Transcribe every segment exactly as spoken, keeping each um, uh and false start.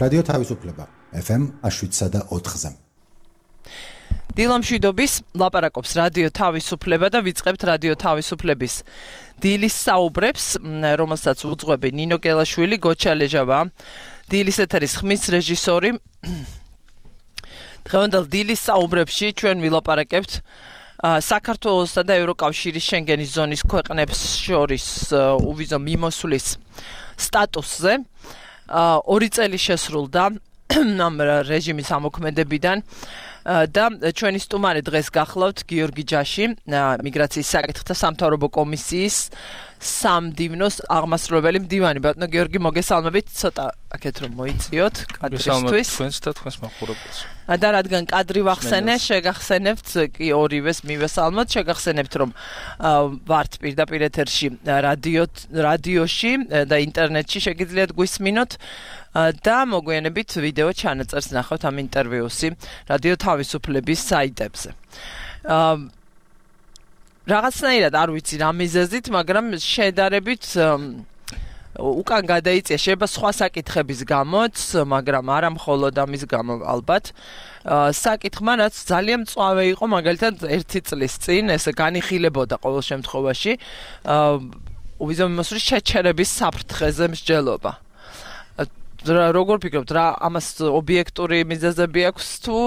რადიო თავისუფლება ეფ ემ შვიდსა და ოთხზე. დილამშვიდობის ლაპარაკობს რადიო თავისუფლება და ვიწყებთ რადიო თავისუფლების დილის საუბრებს, რომელსაც უძღვები ნინო გელაშვილი, გოჩა ლეჟავა, დილის ეთერის ხმის რეჟისორი. დღევანდელ დილის საუბრებში ჩვენ ვილაპარაკებთ საქართველოსა და ევროკავშირის შენგენის ზონის ქვეყნებს შორის უვიზო მიმოსვლის სტატუსზე. ორი წელი შესრულდა ამ რეჟიმის ამოქმედებიდან და ჩვენი სტუმარი დღეს გახლავთ გიორგი ჯაში, მიგრაციის საკითხთა სამთავრობო კომისიის სამდივნოს აღმასრულებელი მდივანი. ბატონო გიორგი, მოგესალმებით, ცოტა აქეთ რომ მოიწიოთ კადრისთვის. თქვენს და თქვენს მაყურებელს. და რადგან კადრი ვახსენე, შეგახსენებთ კი ორივეს მივესალმოთ, შეგახსენებთ რომ ვართ პირდაპირ ეთერში რადიო რადიოში და ინტერნეტში შეგიძლიათ გვისმინოთ და მოგვიანებით ვიდეო ჩანაწერს ნახავთ ამ ინტერვიუსი რადიო თავისუფლების საიტებზე. რაღაცნაირად არ ვიცი რა მიზეზით, მაგრამ შედარებით უკან გადაიწია, შეიძლება სხვა საკითხების გამოც, მაგრამ არა მხოლოდ ამის გამო ალბათ. საკითხმა რაც ძალიან მწვავე იყო, მაგალითად ერთი წლის წინ ეს განიხილებოდა ყოველ შემთხვევაში უვიზო მიმოსვლის შეჩერების საფრთხეზე მსჯელობა. როგორ ფიქრობთ, რა ამას ობიექტური მიზეზები აქვს თუ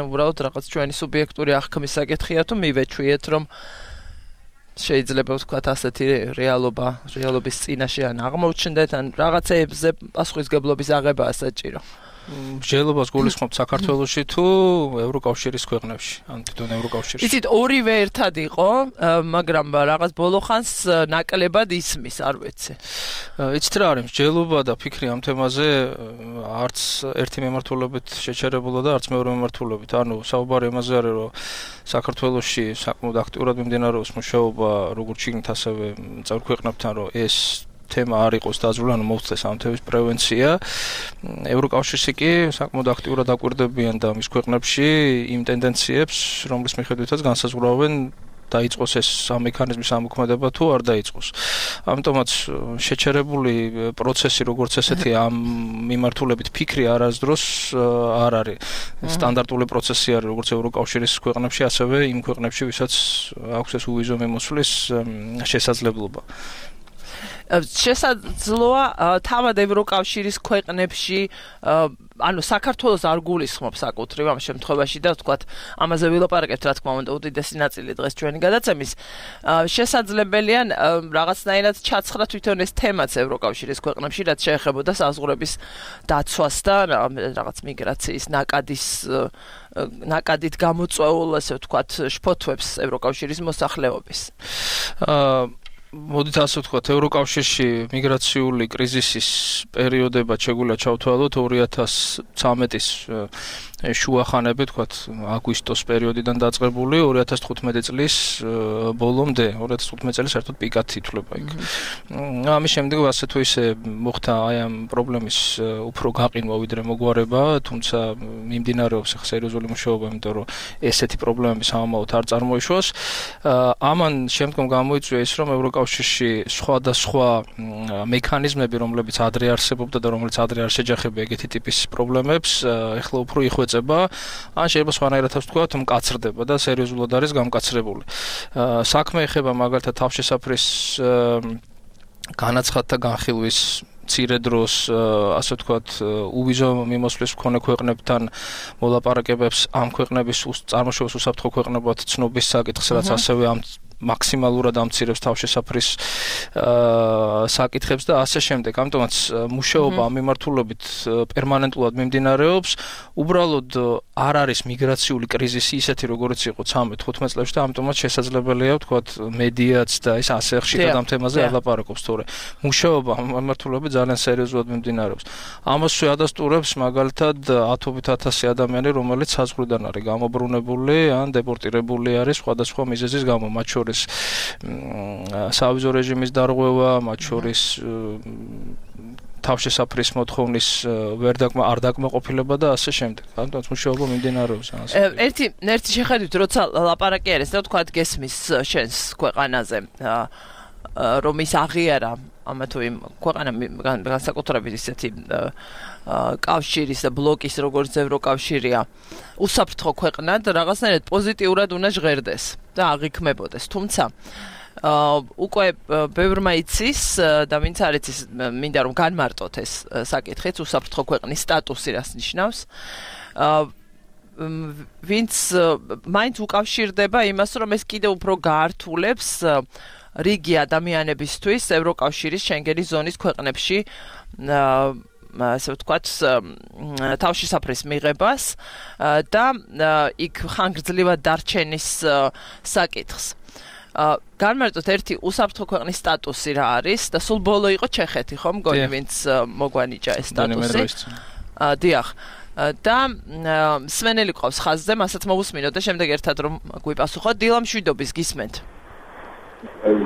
უბრალოდ რაღაც ჩვენი სუბიექტური აღქმის საკითხია თუ მივეჩვიეთ რომ შეიძლება ვთქვათ ასეთი რეალობა, რეალობის წინაშე ან აღმოჩნდეთ ან რაღაცეებზე პასუხისგებლობის აღებაა საჭირო. მსჯელობას გულისხმობთ საქართველოში თუ ევროკავშირის ქვეყნებში, ან თვითონ ევროკავშირში? იცით, ორივე ერთად იყო, მაგრამ რაღაც ბოლო ხანს ნაკლებად ისმის, არ ვიცი. იცით რა არის, მსჯელობა და ფიქრი ამ თემაზე არც ერთი მემართულებით შეჩერებულა და არც მეორე მემართულებით. ანუ საუბარი იმაზე არის, რომ საქართველოში საკმაოდ აქტიურად მიმდინარეობს მუშაობა როგორც შიგნით, ასევე წევრ ქვეყნებთან, რომ ეს თემა არ იყოს დაძრული, ანუ მოუწეს ამ თემის პრევენცია. ევროკავშირში კი საკმაოდ აქტიურად აკვირდებიან და მის ქვეყნებში იმ ტენდენციებს, რომლის მიხედვითაც განსაზღვრავენ დაიწყოს ეს ამ მექანიზმის ამოქმედება თუ არ დაიწყოს. ამიტომაც შეჩერებული პროცესი როგორც ესეთი ამ მიმართულებით ფიქრი არასდროს არ არის. სტანდარტული პროცესი არის როგორც ევროკავშირის ქვეყნებში, ასევე იმ ქვეყნებში, ვისაც აქვს ეს უვიზო მიმოსვლის შესაძლებლობა. შესაძლოა თავად ევროკავშირის ქვეყნებში, ანუ საქართველოს არ გულისხმობს საკუთრივ ამ შემთხვევაში და ვთქვათ, ამაზე ვილაპარაკებთ, რა თქმა უნდა, უდიდესი ნაწილი დღეს ჩვენი გადაცემის. შესაძლებელია რაღაცნაირად ჩაცხრა თვითონ ეს თემაც ევროკავშირის ქვეყნებში, რაც შეეხებოდა საზღვრების დაცვას და რაღაც მიგრაციის ნაკადის ნაკადით გამოწვეულ, ასე ვთქვათ, შფოთვებს ევროკავშირის მოსახლეობის. მოდით ასე ვთქვათ, ევროკავშირში მიგრაციული კრიზისის პერიოდებად შეგვიძლია ჩავთვალოთ ორი ათას ცხრამეტის შუახანები, ვთქვათ, აგვისტოს პერიოდიდან დაწყებული ორი ათას თხუთმეტი წლის ბოლომდე, ორი ათას თხუთმეტი წელი საერთოდ პიკად ითვლება იქ. ამის შემდეგ ასე თუ ისე მოხდა აი ამ პრობლემის უფრო გაყინვა ვიდრე მოგვარება, თუმცა მიმდინარეობს ახლა სერიოზული მუშაობა, იმიტომ რომ ესეთი პრობლემები სამომავლოდ არ წარმოიშვას. ამან შემდგომ გამოიწვია ის, რომ ევროკავშირში სხვადასხვა მექანიზმები, რომლებიც ადრე არსებობდა და რომლებიც ადრე არ შეჯახებია ეგეთი ტიპის პრობლემებს, ეხლა უფრო იხვეწება, ან შეიძლება სხვანაირად ვთქვათ, მკაცრდება და სერიოზულად არის გამკაცრებული. საქმე ეხება მაგალითად თავშესაფრის განაცხადთა განხილვის მცირე დროს, ასე ვთქვათ, უვიზო მიმოსვლის მქონე ქვეყნებთან მოლაპარაკებებს, ამ ქვეყნების წარმოშობის უსაფრთხო ქვეყნებად ცნობის საკითხს, რაც ასევე ამ მაქსიმალურად ამცირებს თავშესაფრის საკითხებს და ასე შემდეგ. ამიტომაც მუშაობა ამ მიმართულებით პერმანენტულად მიმდინარეობს. უბრალოდ არ არის მიგრაციული კრიზისი ისეთი, როგორიც იყო ცხრამეტ თხუთმეტ წლებში და ამიტომაც შესაძლებელია ვთქვათ მედიაც და ეს ასე ხშირად ამ თემაზე არ ლაპარაკობს, თორე მუშაობა ამ მიმართულებით ძალიან სერიოზულად მიმდინარეობს. ამასვე ადასტურებს მაგალითად ათობით ათასი ადამიანი, რომელიც საზღვრიდან არის გამობრუნებული ან დეპორტირებული არის სხვადასხვა მიზეზის გამო, მათ შორის სავიზო რეჟიმის დარღვევა, მათ შორის თავშესაფრის მოთხოვნის ვერ დაკმა არ დაკმაყოფილება და ასე შემდეგ. ანუ მუშაობა მიმდინარეობს ამას. ერთი ერთი შეხედვით, როცა ლაპარაკი არის, და ვთქვათ, გესმის შენს ქვეყანაზე. რომ ის აღიარა ამა თუ იმ ქვეყანა განსაკუთრებით ისეთი კავშირის და ბლოკის როგორც ევროკავშირია უსაფრთხო ქვეყნად რაღაცნაირად პოზიტიურად უნდა ჟღერდეს და აღიქმებოდეს თუმცა უკვე ბევრმა იცის და ვინც არ იცის მინდა რომ განმარტოთ ეს საკითხიც უსაფრთხო ქვეყნის სტატუსი რას ნიშნავს ვინც მაინც უკავშირდება იმას რომ ეს კიდევ უფრო გაართულებს რიგი ადამიანებისთვის ევროკავშირის შენგენის ზონის ქვეყნებში ასე ვთქვათ თავშესაფრის მიღებას და იქ ხანგრძლივად დარჩენის საკითხს განმარტოთ ერთი უსაფრთხო ქვეყნის სტატუსი რა არის და სულ ბოლო იყო ჩეხეთი ხო მგონი ვინც მოგვანიჭა ეს სტატუსი დიახ და სვენელი ყავს ხაზზე მასაც მოვუსმინოთ და შემდეგ ერთად რომ გვიპასუხოთ დილა მშვიდობის გისმენთ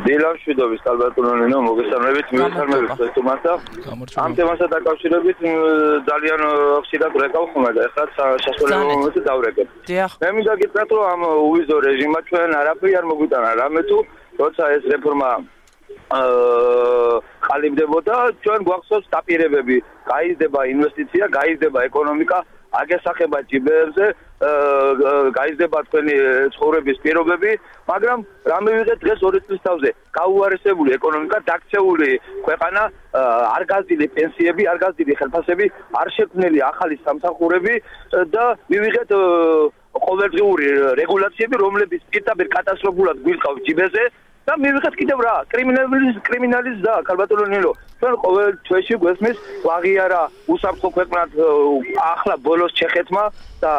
დილა მშვიდობის ალბათონინო მოგესალმებით მივესალმებით თუმცა ამ თემასთან დაკავშირებით ძალიან ხშირად რეკავ ხომ და ეხლა სასწავლო მომენტი დავრეკებ მე მინდა გითხრათ რომ ამ უვიზო რეჟიმმა ჩვენ არაფერი არ მოგვიტანა რამე თუ როცა ეს რეფორმა ყალიბდებოდა ჩვენ გვახსოვს დაპირებები გაიზრდება ინვესტიცია გაიზრდება ეკონომიკა აგესახება ჯიბეებზე გაიზრდება თქვენი ცხოვრების პირობები მაგრამ რა მივიღეთ დღეს ორი წლის თავზე გაუარესებული ეკონომიკა დაქცეული ქვეყანა არ გაზრდილი პენსიები არ გაზრდილი ხელფასები არ შექმნილი ახალი სამსახურები და მივიღეთ ყოველდღიური რეგულაციები რომლებიც პირდაპირ კატასტროფულად გვილყავს ჯიბეზე და მივიღეთ კიდევ რა კრიმინალის კრიმინალის და ქალბატონინო ჩვენ ყოველ თვეში გვესმის ვაღიარა უსაფრთხო ქვეყნად ახლა ბოლოს ჩეხეთმა და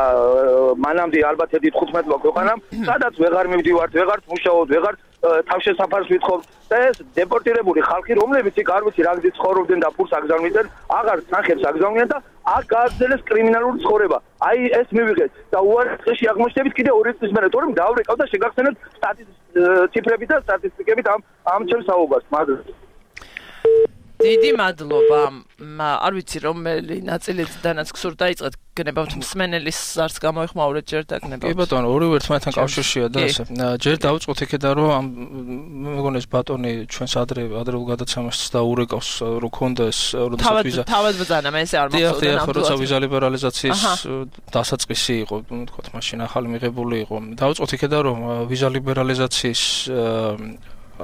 მანამდე ალბათ ედით თხუთმეტმა ქვეყანამ სადაც ვეღარ მივდივართ ვეღარ მუშაობთ ვეღარ თავშესაფარს ვითხოვთ და ეს დეპორტირებული ხალხი რომლებიც იქ არ ვიცი რა გზით ცხოვრობდნენ და ფულს აგზავნიდნენ აღარ თანხებს აგზავნიან და აქ გააგრძელეს კრიმინალური ცხოვრება აი ეს მივიღეთ და უარესში აღმოჩნდებით კიდე ორი წლის მერე თორემ დავრეკავ და შეგახსენებთ ციფრები და სტატისტიკებით ამ ამ ჩემს საუბარს მაგრამ დიდი მადლობა არ ვიცი რომელი ნაწილიდანაც გსურთ დაიწყეთ გნებავთ მსმენელის არც გამოიხმაურეთ ჯერ და გნებავთ კი ბატონო ორივე ერთმანეთთან კავშირშია და ასე ჯერ დავწყოთ იქედან რომ ამ მეგონი ეს ბატონი ჩვენს ადრე ადრეულ გადაცემას დაურეკავს რო ქონდა ეს როდესაც ვიზა თავად ბძანა მე ესე არ მახსოვდა დიახ როცა ვიზა ლიბერალიზაციის დასაწყისი იყო თქვათ მაშინ ახალი მიღებული იყო დავწყოთ იქედან რომ ვიზა ლიბერალიზაციის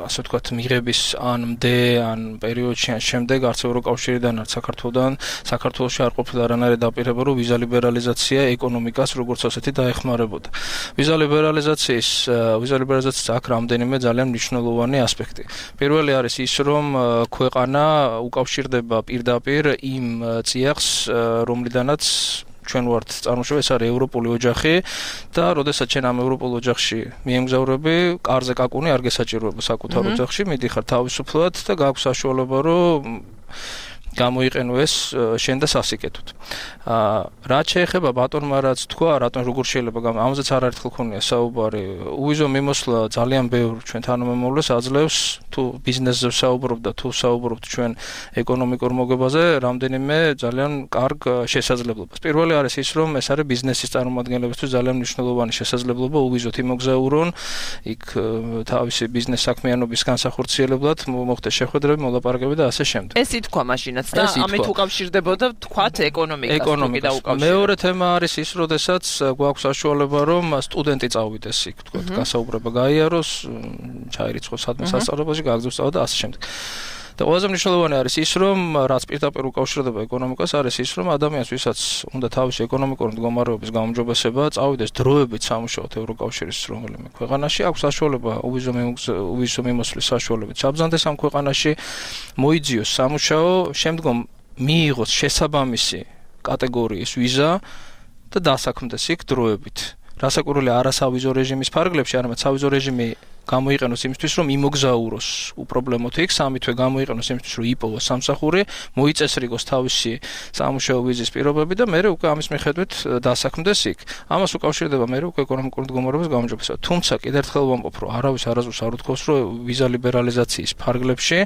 ასე ვთქვათ მიღების ან მდე ან პერიოდში ან შემდეგ არც ევროკავშირიდან არც საქართველოსთან საქართველოში არ ყოფილა არანაირი დაპირება რომ ვიზა ლიბერალიზაცია ეკონომიკას როგორც ასეთი დაეხმარებოდა ვიზა ლიბერალიზაციის ვიზა ლიბერალიზაციის აქ რამდენიმე ძალიან მნიშვნელოვანი ასპექტი პირველი არის ის რომ ქვეყანა უკავშირდება პირდაპირ იმ წიაღს რომლიდანაც ჩვენ ვართ წარმოშობა ეს არის ევროპული ოჯახი და როდესაც ჩვენ ამ ევროპულ ოჯახში მიემგზავრები კარზე კაკუნი არ გესაჭიროება საკუთარ ოჯახში მიდიხარ თავისუფლად და გაქვს საშუალება რომ გამოიყენო ეს შენ და სასიკეთოდ. აა რაც შეეხება ბატონმა რაც თქვა, რატომ როგორ შეიძლება ამაზეც არაერთხელ ქონია საუბარი. უვიზო მიმოსვლა ძალიან ბევრ ჩვენ თანამემამულეს აძლევს თუ ბიზნესზე საუბრობ და თუ საუბრობთ ჩვენ ეკონომიკურ მოგებაზე, რამდენიმე ძალიან კარგ შესაძლებლობას. პირველი არის ის, რომ ეს არის ბიზნესის წარმომადგენლებისთვის ძალიან მნიშვნელოვანი შესაძლებლობა უვიზოთ იმოგზაურონ, იქ თავისი ბიზნეს საქმიანობის განსახორციელებლად მოხდეს შეხვედრები, მოლაპარაკებები და ასე შემდეგ. ეს ითქვა მაშინაც და ამით უკავშირდებოდა თქვათ ეკონომიკას თუ და უკავშირდება. მეორე თემა არის ის, როდესაც გვაქვს საშუალება რომ სტუდენტი წავიდეს იქ, თქვათ, გასაუბრება გაიაროს, ჩაირიცხოს სადმე სასწავლებელში, გააგზავნოს სწავლა და ასე შემდეგ. და ყველაზე მნიშვნელოვანი არის ის, რომ რაც პირდაპირ უკავშირდება ეკონომიკას, არის ის, რომ ადამიანს, ვისაც უნდა თავისი ეკონომიკური მდგომარეობის გაუმჯობესება, წავიდეს დროებით სამუშაოდ ევროკავშირის რომელიმე ქვეყანაში, აქვს საშუალება უვიზო უვიზო მიმოსვლის საშუალებით საბრძანდეს ამ ქვეყანაში, მოიძიოს სამუშაო, შემდგომ მიიღოს შესაბამისი კატეგორიის ვიზა და დასაქმდეს იქ დროებით. რასაკურველი არასავიზო რეჟიმის ფარგლებში, არამედ სავიზო რეჟიმი გამოიყენოს იმისთვის, რომ იმოგზაუროს უპრობლემოდ იქ, სამი თვე გამოიყენოს იმისთვის, რომ იპოვოს სამსახური, მოიწესრიგოს თავისი სამუშაო ვიზის პირობები და მეორე უკვე ამის მიხედვით დასაქმდეს იქ. ამას უკავშირდება მეორე უკვე ეკონომიკური მდგომარეობის გაუმჯობესება. თუმცა კიდევ ერთხელ ვამბობ, რომ არავის არასდროს არ უთქვას, რომ ვიზა ლიბერალიზაციის ფარგლებში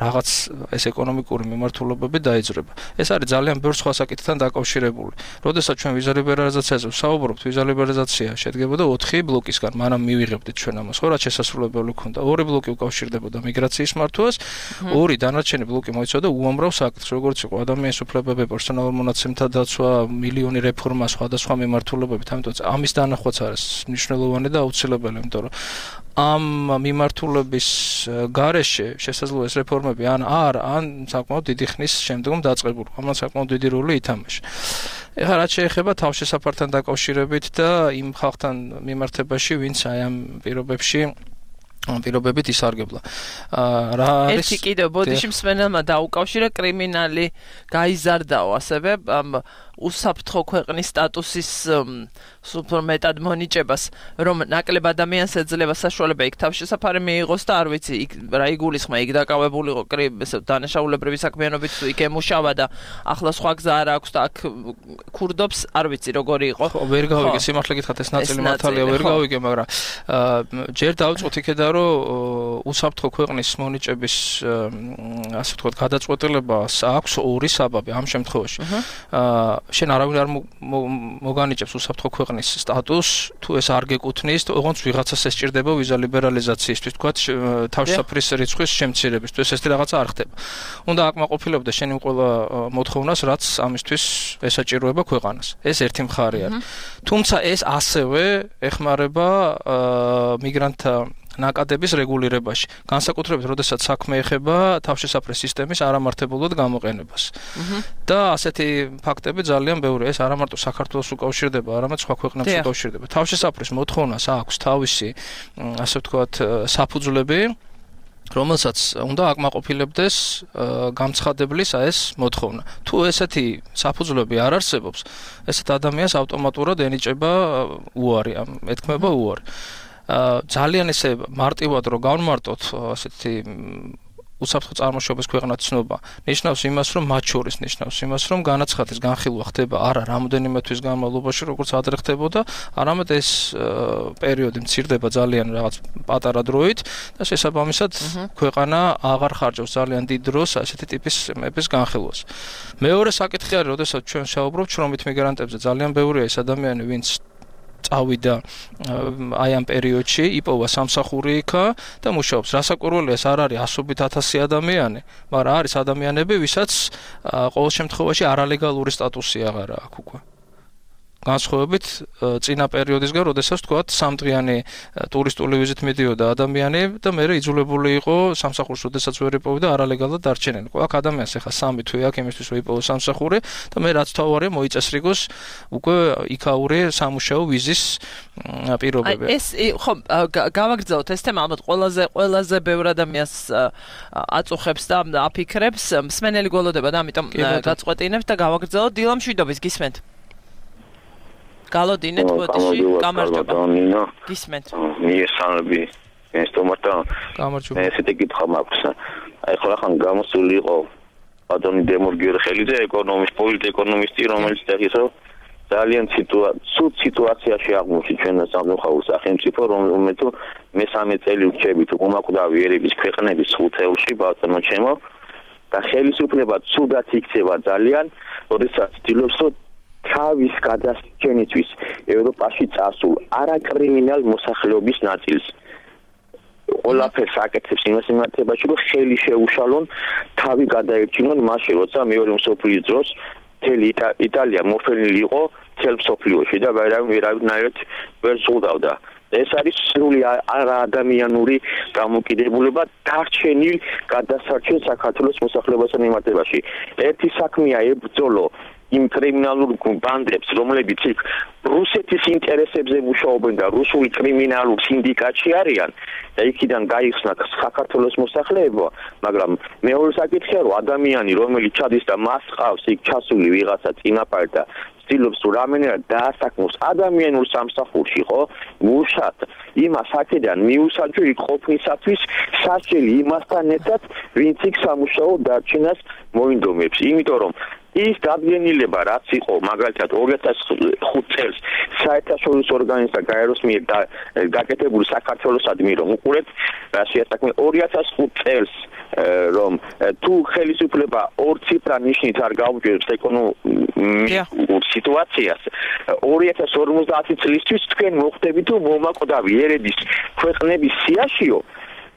რაღაც ეს ეკონომიკური მიმართულებები დაიძრება. ეს არის ძალიან ბევრ სხვა საკითხთან დაკავშირებული. როდესაც ჩვენ ვიზა ლიბერალიზაციაზე ვსაუბრობთ, ვიზა ლიბერალიზაცია შედგებოდა ოთხი ბლოკისგან, მანამ მივიღებდით ჩვენ ამას, ხო, რაც შესასრულებელი ქონდა. ორი ბლოკი უკავშირდებოდა მიგრაციის მართვას, ორი დანარჩენი ბლოკი მოიცავდა უამრავ საკითხს, როგორც იყო ადამიანის უფლებები, პერსონალურ მონაცემთა დაცვა, მილიონი რეფორმა, სხვადასხვა მიმართულებებით, ამიტომ ამის დანახვაც არის მნიშვნელოვანი და აუცილებელი, იმიტომ რომ ამ მიმართულების გარეშე შესაძლოა ეს რეფორმები ან არ ან საკმაოდ დიდი ხნის შემდგომ დაწყებულ. ამან საკმაოდ დიდი როლი ითამაშა. ეხლა რაც შეეხება თავშესაფართან დაკავშირებით და იმ ხალხთან მიმართებაში, ვინც აი ამ პირობებში პირობებით ისარგებლა. რა არის ერთი კიდევ ბოდიში მსმენელმა დაუკავშირა კრიმინალი გაიზარდაო ასევე უსაფრთხო ქვეყნის სტატუსის უფრო მეტად მონიჭებას, რომ ნაკლებ ადამიანს ეძლევა საშუალება იქ თავშესაფარი მიიღოს და არ ვიცი, იქ რა იგულისხმა, იქ დაკავებულიყო ესე დანაშაულებრივი საქმიანობით თუ იქ ემუშავა და ახლა სხვა გზა არ აქვს და აქ ქურდობს, არ ვიცი როგორი იყო. ხო, ვერ გავიგე, სიმართლე გითხრათ, ეს ნაწილი მართალია, ვერ გავიგე, მაგრამ ჯერ დავწყოთ იქედა, რომ უსაფრთხო ქვეყნის მონიჭების ასე ვთქვათ, გადაწყვეტილებას აქვს ორი საბაბი ამ შემთხვევაში. შენ არავინ არ მოგანიჭებს უსაფრთხო ქვეყნის სტატუსს, თუ ეს არ გეკუთვნის, ოღონდ ვიღაცას ესჭირდება ვიზა ლიბერალიზაციისთვის, თქვათ, თავშესაფრის რიცხვის შემცირებისთვის, ეს რაღაცა არ ხდება. უნდა აკმაყოფილებდა შენ იმ ყველა მოთხოვნას, რაც ამისთვის ესაჭიროება ქვეყანას. ეს ერთი მხარე არის. თუმცა ეს ასევე ეხმარება მიგრანტთა ნაკადების რეგულირებაში, განსაკუთრებით, როდესაც საქმე ეხება თავშესაფრის სისტემის არამართებულად გამოყენებას. და ასეთი ფაქტები ძალიან ბევრია, ეს არა მარტო საქართველოს უკავშირდება, არამედ სხვა ქვეყნებს უკავშირდება. თავშესაფრის მოთხოვნას აქვს თავისი, ასე ვთქვათ, საფუძვლები, რომელსაც უნდა აკმაყოფილებდეს გამცხადებლის ეს მოთხოვნა. თუ ესეთი საფუძვლები არ არსებობს, ესეთ ადამიანს ავტომატურად ენიჭება უარი, ეთქმება უარი. ძალიან ესე მარტივად რო გავმარტოთ ასეთი უსაფრთხო წარმოშობის ქვეყნად ცნობა, ნიშნავს იმას, რომ მათ შორის ნიშნავს იმას, რომ განაცხადის განხილვა ხდება არა რამოდენიმე თვის განმავლობაში, როგორც ადრე ხდებოდა, არამედ ეს პერიოდი მცირდება ძალიან რაღაც პატარა დროით და შესაბამისად ქვეყანა აღარ ხარჯავს ძალიან დიდ დროს ასეთი ტიპის მეფის განხილვას. მეორე საკითხი არის, როდესაც ჩვენ შევაუბრობთ შრომით მიგრანტებზე, ძალიან ბევრია ეს ადამიანი, ვინც წავიდა აი ამ პერიოდში, იპოვა სამსახური იქა და მუშაობს. რასაკვირველია, ეს არ არის ასობით ათასი ადამიანი, მაგრამ არის ადამიანები, ვისაც ყოველ შემთხვევაში არალეგალური სტატუსი აღარ აქვს უკვე. განსხვავებით წინა პერიოდისგან, როდესაც თქვათ სამდღიანი ტურისტული ვიზით მიდიოდა ადამიანი და მერე იძულებული იყო სამსახურს, როდესაც ვერ იპოვდა არალეგალურად დარჩენენ. აქ ადამიანს ეხა სამი თვე აქვს იმისთვის, რომ იპოვოს სამსახური და მე რაც თავარია მოიწესრიგოს უკვე იქაური სამუშაო ვიზის პირობები. ეს ხო გავაგრძელოთ ეს თემა, ალბათ ყველაზე ყველაზე ბევრ ადამიანს აწუხებს და აფიქრებს, მსმენელი გველოდება და ამიტომ გაწყვეტინებთ და გავაგრძელოთ. დილა მშვიდობის, გისმენთ? გალოდინეთ ბოდიში, გამარჯობა. გისმენთ. მიესალმები, ინსტუმენტა. გამარჯობა. ესეთი კითხვა მაქვს. აი ხოლმე ხან გამოსული იყო ბატონი დემორგიორ ხელიძე, ეკონომისტი, პოლიტეკონომისტი, რომელიც წერის, რომ ძალიან ცუდ სიტუაციაში აღმოჩნდა ჩვენ სამხაურო სახელმწიფო, რომელიც მესამე წელი ვრჩებით უმაკვდავი ერების ქვეყნების ხუთეულში, ბატონო ჩემო, და ხელისუფლება ცუდად იქცევა ძალიან, როდესაც ცდილობს, რომ თავის გადასჭენისთვის ევროპაში წასულ არაკრიმინალ მოსახლეობის ნაწილს ყველაფერს აკეთებს იმას მიმართებაში, რომ ხელი შეუშალონ, თავი გადაერჩინონ მაშინ, როცა მეორე მსოფლიოს დროს მთელი იტალია მოფენილი იყო მთელ მსოფლიოში და ვერავნაირად ვერ ზღუდავდა. ეს არის სრული არაადამიანური დამოკიდებულება დარჩენილ გადასარჩენ საქართველოს მოსახლეობასთან მიმართებაში. ერთი საქმეა ებრძოლო იმ კრიმინალურ ბანდებს, რომლებიც იქ რუსეთის ინტერესებზე მუშაობენ და რუსული კრიმინალურ სინდიკატში არიან და იქიდან გაიხსნა საქართველოს მოსახლეობა, მაგრამ მეორე საკითხია, რომ ადამიანი, რომელიც ჩადის და მას ყავს იქ ჩასული ვიღაცა წინაპარი და ცდილობს რამენერად დაასაქმოს ადამიანურ სამსახურში, ხო? მუშად იმას აქედან მიუსაჯო იქ ყოფნისათვის სასჯელი იმასთან ერთად, ვინც იქ სამუშაო დარჩენას მოინდომებს. იმიტომ რომ ის დადგენილება რაც იყო მაგალითად ორი ათას ხუთი წელს საერთაშორისო ორგანიზაცია გაეროს მიერ გაკეთებული საქართველოსადმი რომ უყურეთ რაშია საქმე ორი ათას ხუთი წელს რომ თუ ხელისუფლება ორ ციფრა ნიშნით არ გაუჭირებს ეკონომიკურ სიტუაციას ორი ათას ორმოცდაათი წლისთვის თქვენ მოხდებით თუ მომაკვდავი ერების ქვეყნების სიაშიო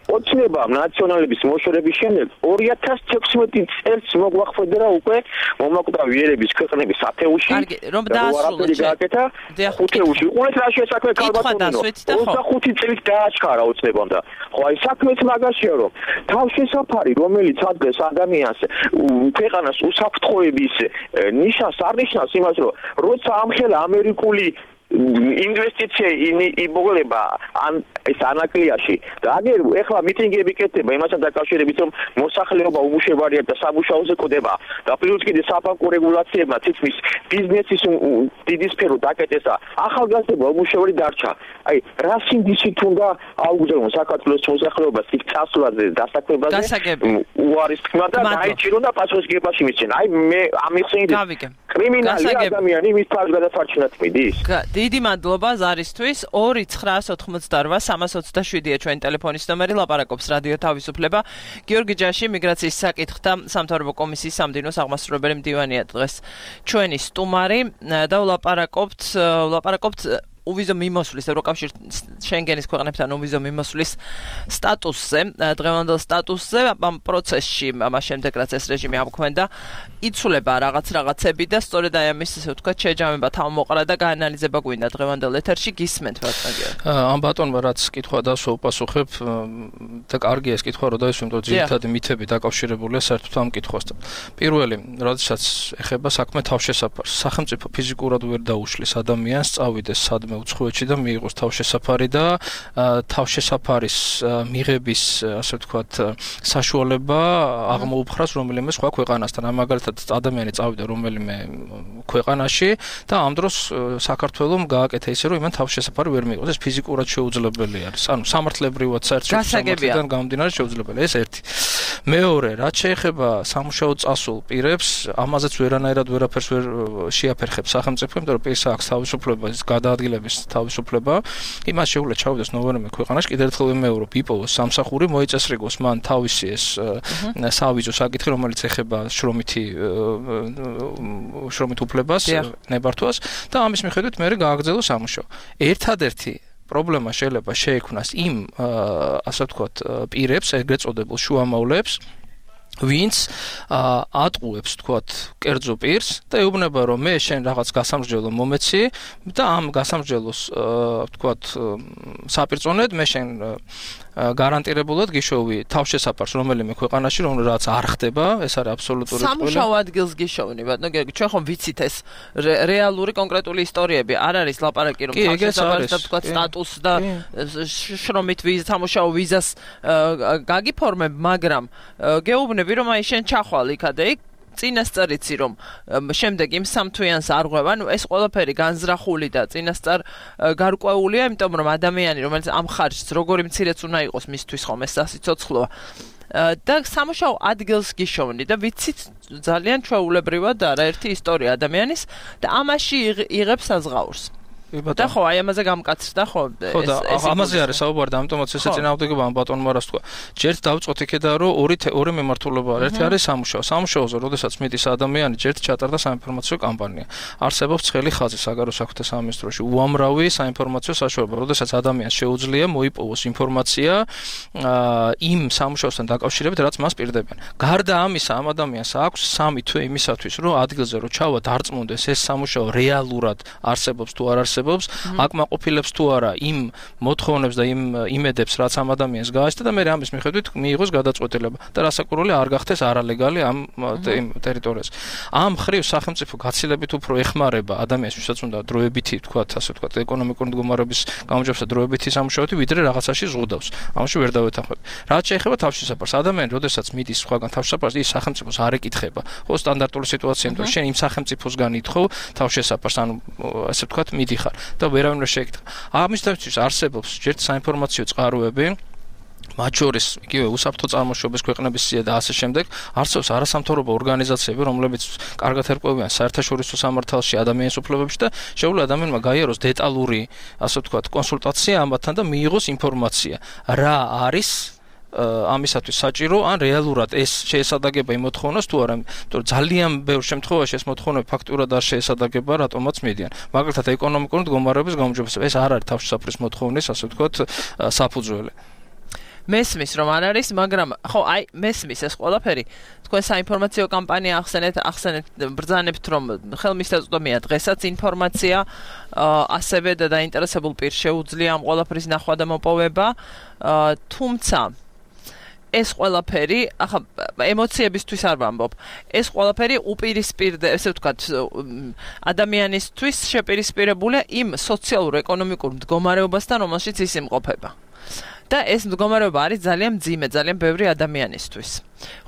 ოცნებამ ნაციონალების მოშორების შემდეგ ორი ათას თექვსმეტი წელს მოგვახდერა უკვე მომაკვდავი ერების ქვეყნების ათეულში რომ დაასრულოთ გააკეთა ხუთეულში უყურეთ რა შესაძლოა ქალბატონო ოცდახუთი წელს დააჩქარა ოცნებამ და ხო აი საქმეც მაგაშია რომ თავშესაფარი რომელიც ადგეს ადამიანს ქვეყანას უსაფრთხოების ნიშანს არნიშნავს იმას რომ როცა ამხელა ამერიკული ინვესტიცია იმოვლება ან ეს ანაკლიაში და აგერ ეხლა მიტინგები კეთდება იმასთან დაკავშირებით რომ მოსახლეობა უმუშევარია და სამუშაოზე კვდება და პლუს კიდე საბანკო რეგულაციებმა თითქმის ბიზნესის დიდი სფერო დაკეტეს და ახალგაზრდა უმუშევარი დარჩა აი რა სინდისით უნდა აუგზავნოს საქართველოს მოსახლეობას იქ წასვლაზე დასაქმებაზე უარის თქმა და დაიჭირონ და პასუხისგებაში მისცენ აი მე ამიხსენით კრიმინალი ადამიანი მის თავს გადაფარჩენად მიდის დიდი მადლობა ზარისთვის ორი ცხრაას ოთხმოცდაორვა სამას ოცდაშვიდია ჩვენი ტელეფონის ნომერი ლაპარაკობს რადიო თავისუფლება გიორგი ჯაში მიგრაციის საკითხთა სამთავრობო კომისიის სამდივნოს აღმასრულებელი მდივანია დღეს ჩვენი სტუმარი და ვლაპარაკობთ ვლაპარაკობთ უვიზო მიმოსვლის ევროკავშირ შენგენის ქვეყნებთან უვიზო მიმოსვლის სტატუსზე დღევანდელ სტატუსზე ამ პროცესში ამას შემდეგ რაც ეს რეჟიმი ამქვენდა იცვლება რაღაც რაღაცები და სწორედ აი ამის ესე ვთქვათ შეჯამება თავმოყრა და გაანალიზება გვინდა დღევანდელ ეთერში გისმენთ ბატონო ამ ბატონმა რაც კითხვა დასვა უპასუხებ და კარგია ეს კითხვა რომ დაისვენ იმიტომ ძირითადი მითები დაკავშირებულია საერთოდ ამ კითხვასთან პირველი როდესაც ეხება საქმე თავშესაფარს სახელმწიფო ფიზიკურად ვერ დაუშლის ადამიანს წავიდეს სადმე უცხოეთში და მიიღოს თავშესაფარი და თავშესაფარის მიღების ასე ვთქვათ საშუალება აღმოუფხრას რომელიმე სხვა ქვეყანასთან ამ მაგალითად ადამიანი წავიდა რომელიმე ქვეყანაში და ამ დროს საქართველოს გააკეთა ისე რომ იმან თავშესაფარი ვერ მიიღოს ეს ფიზიკურად შეუძლებელი არის ანუ სამართლებრივად საერთაშორისოდან გამომდინარე შეუძლებელია ეს ერთი მეორე რაც შეეხება სამუშაო წასულ პირებს ამაზეც ვერანაირად ვერაფერს ვერ შეაფერხებს სახელმწიფო იმიტომ რომ პირს აქვს თავისუფლება გადაადგილების თავისუფლება იმას შეუძლია ჩავიდეს ნოვერმე ქვეყანაში კიდევ ერთხელ ვიმეორებ იპოვოს სამსახური მოიწესრიგოს მან თავისი ეს სავიზო საკითხი რომელიც ეხება შრომითი შრომით უფლებას ნებართვას და ამის მიხედვით მე გააგრძელოს სამუშაო ერთადერთი პრობლემა შეიძლება შეექმნას იმ ასე ვთქვათ პირებს ეგრეთ წოდებულ შუამავლებს ვინც ატყუებს თქვათ კერძო პირს და ეუბნება რომ მე შენ რაღაც გასამსჯელო მომეცი და ამ გასამსჯელოს თქვათ საპირწონედ მე შენ გარანტირებულად გიშოვი თავშესაფარს რომელიმე ქვეყანაში რომელიც არ ხდება ეს არის აბსოლუტური ტყუილი სამუშაო ადგილს გიშოვნი ბატონო გიორგი ჩვენ ხომ ვიცით ეს რეალური კონკრეტული ისტორიები არ არის ლაპარაკი რომ თავშესაფარს და თქვათ სტატუს და შრომით ვიზა სამუშაო ვიზას გაგიფორმებ მაგრამ გეუბნები რომ აი შენ ჩახვალ იქა და იქ წინასწარიცი რომ შემდეგ იმ სამთვიანს არ ღვევ ანუ ეს ყველაფერი განზრახული და წინასწარ გარკვეულია იმიტომ რომ ადამიანი რომელიც ამ ხარჯს როგორი მცირეც უნდა იყოს მისთვის ხომ ეს სასიცოცხლოა და სამუშაო ადგილს გიშოვნი და ვიცით ძალიან ჩვეულებრივად არაერთი ისტორია ადამიანის და ამაში იღებს საზღაურს და ხო აი ამაზე გამკაცრდა ხო ხო და ამაზე არის საუბარი და ამიტომაც ესე წინააღმდეგობა ამ ბატონმა რას თქვა ჯერთ დავწყვეტ იქედა რომ ორი ორი მემართულება არის ერთი არის სამუშაო სამუშაოზე როდესაც მიდის ადამიანი ჯერთ ჩატარდა საინფორმაციო კამპანია არსებობს ცხელი ხაზი საგარეო საქმეთა სამინისტროში უამრავი საინფორმაციო საშუალება როდესაც ადამიანს შეუძლია მოიპოვოს ინფორმაცია იმ სამუშაოსთან დაკავშირებით რაც მას პირდებიან გარდა ამისა ამ ადამიანს აქვს სამი თვე იმისათვის რომ ადგილზე რომ ჩავა დარწმუნდეს ეს სამუშაო რეალურად არსებობს თუ არ არსებობს აკმაყოფილებს თუ არა იმ მოთხოვნებს და იმ იმედებს რაც ამ ადამიანს გააჩნდა და მე ამის მიხედვით მიიღოს გადაწყვეტილება და რასაკვირველია არ გახდეს არალეგალი ამ ტერიტორიაზე ამ ხრივ სახელმწიფო გაცილებით უფრო ეხმარება ადამიანს ვისაც უნდა დროებითი თქვათ ასე თქვათ ეკონომიკური მდგომარეობის გამარჯვებასა დროებითი სამუშაოთი ვიდრე რაღაცაში ზღუდავს ამაში ვერ დავეთანხმებ რაც შეეხება თავშესაფარს ადამიანი როდესაც მიდის სხვაგან თავშესაფარს ის სახელმწიფოს არ ეკითხება ხო სტანდარტული სიტუაცია იმიტომ შენ იმ სახელმწიფოსგან ითხოვ თავშესაფარს ანუ ასე თქვათ მიდიხარ და ვერავინ ვერ შეეკითხა. ამის დაჩვის არსებობს ჯერთ საინფორმაციო წყაროები მათ შორის იგივე უსაფრთხო წარმოშობის ქვეყნების სია და ასე შემდეგ არსებობს არასამთავრობო ორგანიზაციები, რომლებიც კარგად ერკვევიან საერთაშორისო სამართალში ადამიანის უფლებებში და შეუძლია ადამიანმა გაიაროს დეტალური, ასე ვთქვათ, კონსულტაცია ამათთან და მიიღოს ინფორმაცია, რა არის ამისათვის საჭირო, ან რეალურად ეს შეესადაგება იმ მოთხოვნას თუ არა, იმიტომ რომ ძალიან ბევრ შემთხვევაში ეს მოთხოვნები ფაქტურად არ შეესადაგება, რატომაც მიდიან. მაგალითად, ეკონომიკური მდგომარეობის გაუმჯობესება, ეს არ არის თავშესაფრის მოთხოვნის, ასე ვთქვათ, საფუძველი. მესმის რომ არ არის, მაგრამ ხო, აი, მესმის ეს ყველაფერი. თქვენ საინფორმაციო კამპანია ახსენეთ, ახსენეთ, ბრძანებთ რომ ხელმისაწვდომია დღესაც ინფორმაცია, ასევე და დაინტერესებულ პირს შეუძლია ამ ყველაფრის ნახვა და მოპოვება, თუმცა ეს ყველაფერი, ახლა ემოციებისთვის არ ვამბობ. ეს ყველაფერი უპირისპირდება, ესე ვთქვათ, ადამიანისთვის შეპირისპირებულია იმ სოციალურ-ეკონომიკურ მდგომარეობასთან, რომელშიც ის იმყოფება. და ეს მდგომარეობა არის ძალიან მძიმე, ძალიან ბევრი ადამიანისთვის.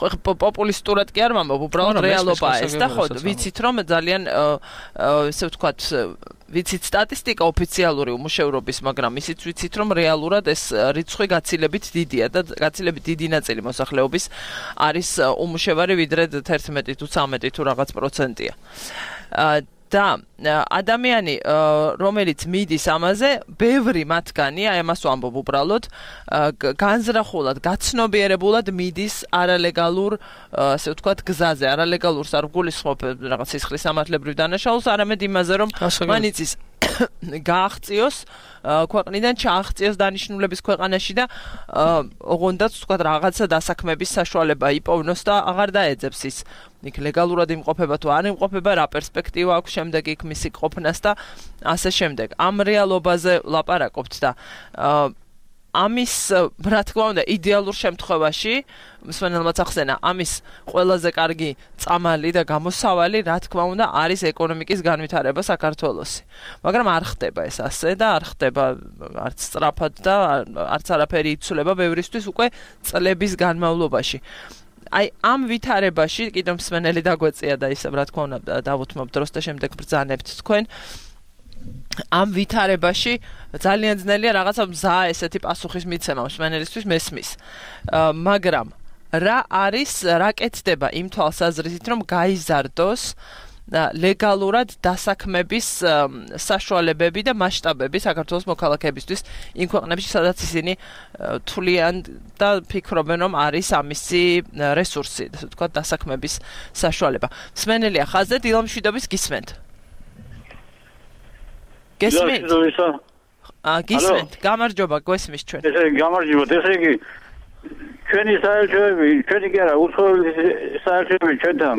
ხო, პოპულისტურად კი არ ვამბობ, უბრალოდ რეალობაა ეს და ხო, ვიცით რომ ძალიან ესე ვთქვათ, ვიცით სტატისტიკა ოფიციალური უმუშევრობის, მაგრამ ისიც ვიცით რომ რეალურად ეს რიცხვი გაცილებით დიდია და გაცილებით დიდი ნაწილი მოსახლეობის არის უმუშევარი, ვიდრე თერთმეტი თუ ცამეტი თუ რაღაც პროცენტია. და ადამიანი, რომელიც მიდის ამაზე, ბევრი მათგანი, აი ამას ვამბობ უბრალოდ, განზრახულად, გაცნობიერებულად მიდის არალეგალურ, ასე ვთქვათ, გზაზე, არალეგალურს არ გულისხმობ რაღაც სისხლის სამართლებრივ დანაშაულს, არამედ იმაზე, რომ მან იცის გააღწიოს ქვეყნიდან, ჩააღწიოს დანიშნულების ქვეყანაში და ოღონდაც ვთქვათ რაღაცა დასაქმების საშუალება იპოვნოს და აღარ დაეძებს ის იქ ლეგალურად იმყოფება თუ არ იმყოფება, რა პერსპექტივა აქვს შემდეგ იქ მისი ყოფნას და ასე შემდეგ. ამ რეალობაზე ლაპარაკობთ და ამის, რა თქმა უნდა, იდეალურ შემთხვევაში, მსმენელმაც ახსენა, ამის ყველაზე კარგი წამალი და გამოსავალი, რა თქმა უნდა, არის ეკონომიკის განვითარება საქართველოსი. მაგრამ არ ხდება ეს ასე და არ ხდება არც სწრაფად და არც არაფერი იცვლება ბევრისთვის უკვე წლების განმავლობაში. აი ამ ვითარებაში, კიდევ მსმენელი დაგვეწია და ისე, რა თქმა უნდა, დავუთმობ დროს და შემდეგ ბრძანებთ თქვენ. ამ ვითარებაში ძალიან ძნელია რაღაცა მზა ესეთი პასუხის მიცემა მსმენელისთვის მესმის. მაგრამ რა არის, რა კეთდება იმ თვალსაზრისით, რომ გაიზარდოს ლეგალურად დასაქმების საშუალებები და მასშტაბები საქართველოს მოქალაქეებისთვის იმ ქვეყნებში, სადაც ისინი თვლიან და ფიქრობენ, რომ არის ამისი რესურსი, ასე ვთქვათ, დასაქმების საშუალება. მსმენელია ხაზზე, დილამშვიდობის გისმენთ. გესმენთ? აა გისმენთ, გამარჯობა, გვესმის ჩვენ. ესე გამარჯობა, ესე იგი ჩვენი საერთოები, ჩვენი კი არა, უცხოელი საერთოები ჩვენთან